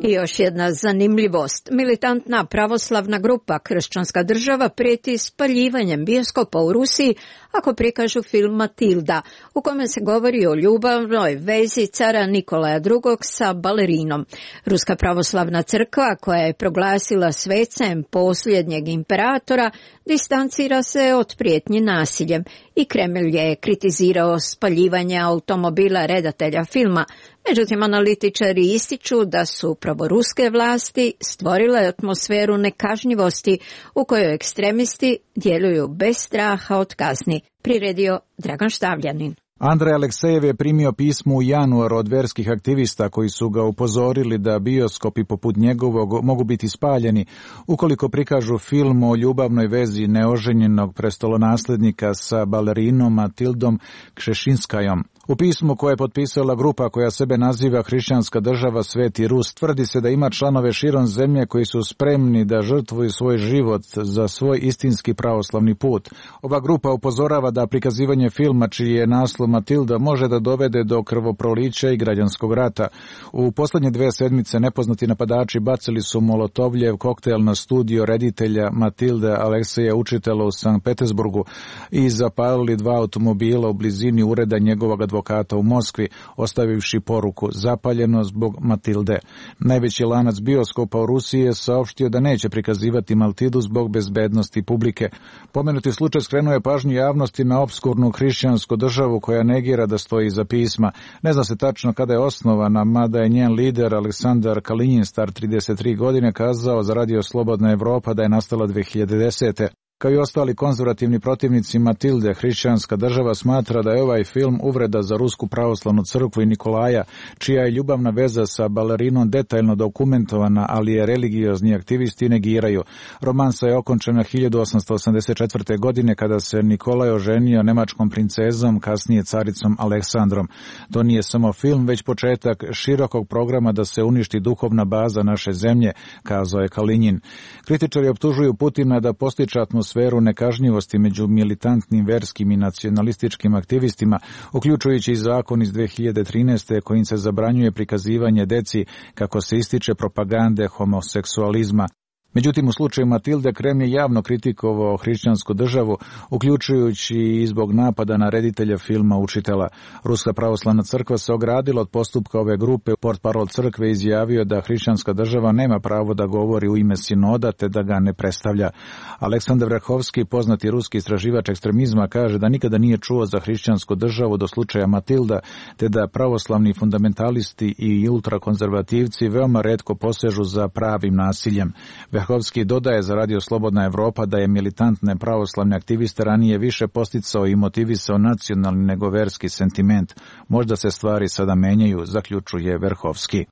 I još jedna zanimljivost. Militantna pravoslavna grupa Kršćanska država prijeti spaljivanjem bioskopa u Rusiji ako prikažu film Matilda, u kome se govori o ljubavnoj vezi cara Nikolaja drugog sa balerinom. Ruska pravoslavna crkva, koja je proglasila svecem posljednjeg imperatora, distancira se od prijetnje nasiljem i Kremlj je kritizirao spaljivanje automobila redatelja filma. Međutim, analitičari ističu da su upravo ruske vlasti stvorile atmosferu nekažnjivosti u kojoj ekstremisti djeluju bez straha od kazni, priredio Dragan Štavljanin. Andrej Aleksejev je primio pismo u januaru od verskih aktivista koji su ga upozorili da bioskopi poput njegovog mogu biti spaljeni ukoliko prikažu film o ljubavnoj vezi neoženjenog prestolonaslednika sa balerinom Matildom Kšešinskajom. U pismu koje je potpisala grupa koja sebe naziva Hrišćanska država Sveti Rus, tvrdi se da ima članove širom zemlje koji su spremni da žrtvuju svoj život za svoj istinski pravoslavni put. Ova grupa upozorava da prikazivanje filma čiji je naslov Matilda može da dovede do krvoprolića i građanskog rata. U posljednje dve sedmice nepoznati napadači bacili su molotovljev koktel na studio reditelja Matilde Alekseja Učitela u Sankt Petersburgu i zapalili dva automobila u blizini ureda njegovog advokata u Moskvi, ostavivši poruku zapaljeno zbog Matilde. Najveći lanac bioskopa u Rusiji je saopštio da neće prikazivati Matildu zbog bezbednosti publike. Pomenuti slučaj skrenuo je pažnju javnosti na opskurnu hrišćansku državu koja negira da stoji iza pisma. Ne zna se tačno kada je osnovana, mada je njen lider Aleksandar Kalinjin, star trideset tri godine, kazao za Radio Slobodna Evropa da je nastala dve hiljade desete. Kao i ostali konzervativni protivnici Matilde, Hrišćanska država smatra da je ovaj film uvreda za Rusku pravoslavnu crkvu i Nikolaja, čija je ljubavna veza sa balerinom detaljno dokumentovana, ali je religiozni aktivisti negiraju. Romansa je okončena hiljadu osamsto osamdeset četvrte. godine kada se Nikolaj oženio nemačkom princezom, kasnije caricom Aleksandrom. To nije samo film, već početak širokog programa da se uništi duhovna baza naše zemlje, kazao je Kalinjin. Kritičari optužuju Putina da postiče atmosferu sferu nekažnjivosti među militantnim verskim i nacionalističkim aktivistima, uključujući i zakon iz dve hiljade trinaeste. kojim se zabranjuje prikazivanje deci kako se ističe propagande homoseksualizma. Međutim, u slučaju Matilde Kremlj je javno kritikovao hrišćansku državu, uključujući i zbog napada na reditelja filma Učitela. Ruska pravoslavna crkva se ogradila od postupka ove grupe. Portparol crkve izjavio da hrišćanska država nema pravo da govori u ime sinoda te da ga ne predstavlja. Aleksandar Vrhovski, poznati ruski istraživač ekstremizma, kaže da nikada nije čuo za hrišćansku državu do slučaja Matilda, te da pravoslavni fundamentalisti i ultrakonzervativci veoma retko posežu za pravim nasiljem. Vrhovski dodaje za Radio Slobodna Evropa da je militantne pravoslavne aktiviste ranije više posticao i motivisao nacionalni nego verski sentiment. Možda se stvari sada menjaju, zaključuje Vrhovski.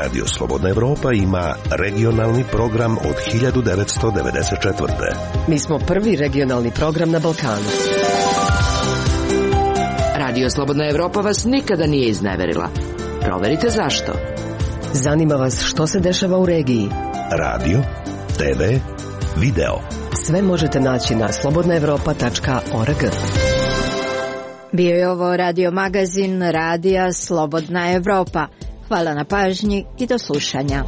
Radio Slobodna Evropa ima regionalni program od hiljadu devetsto devedeset četvrte. Mi smo prvi regionalni program na Balkanu. Radio Slobodna Evropa vas nikada nije izneverila. Proverite zašto. Zanima vas što se dešava u regiji. Radio, te ve, video. Sve možete naći na slobodna evropa tačka org. Bio je ovo radio magazin Radija Slobodna Evropa. Hvala na pažnji i do slušanja.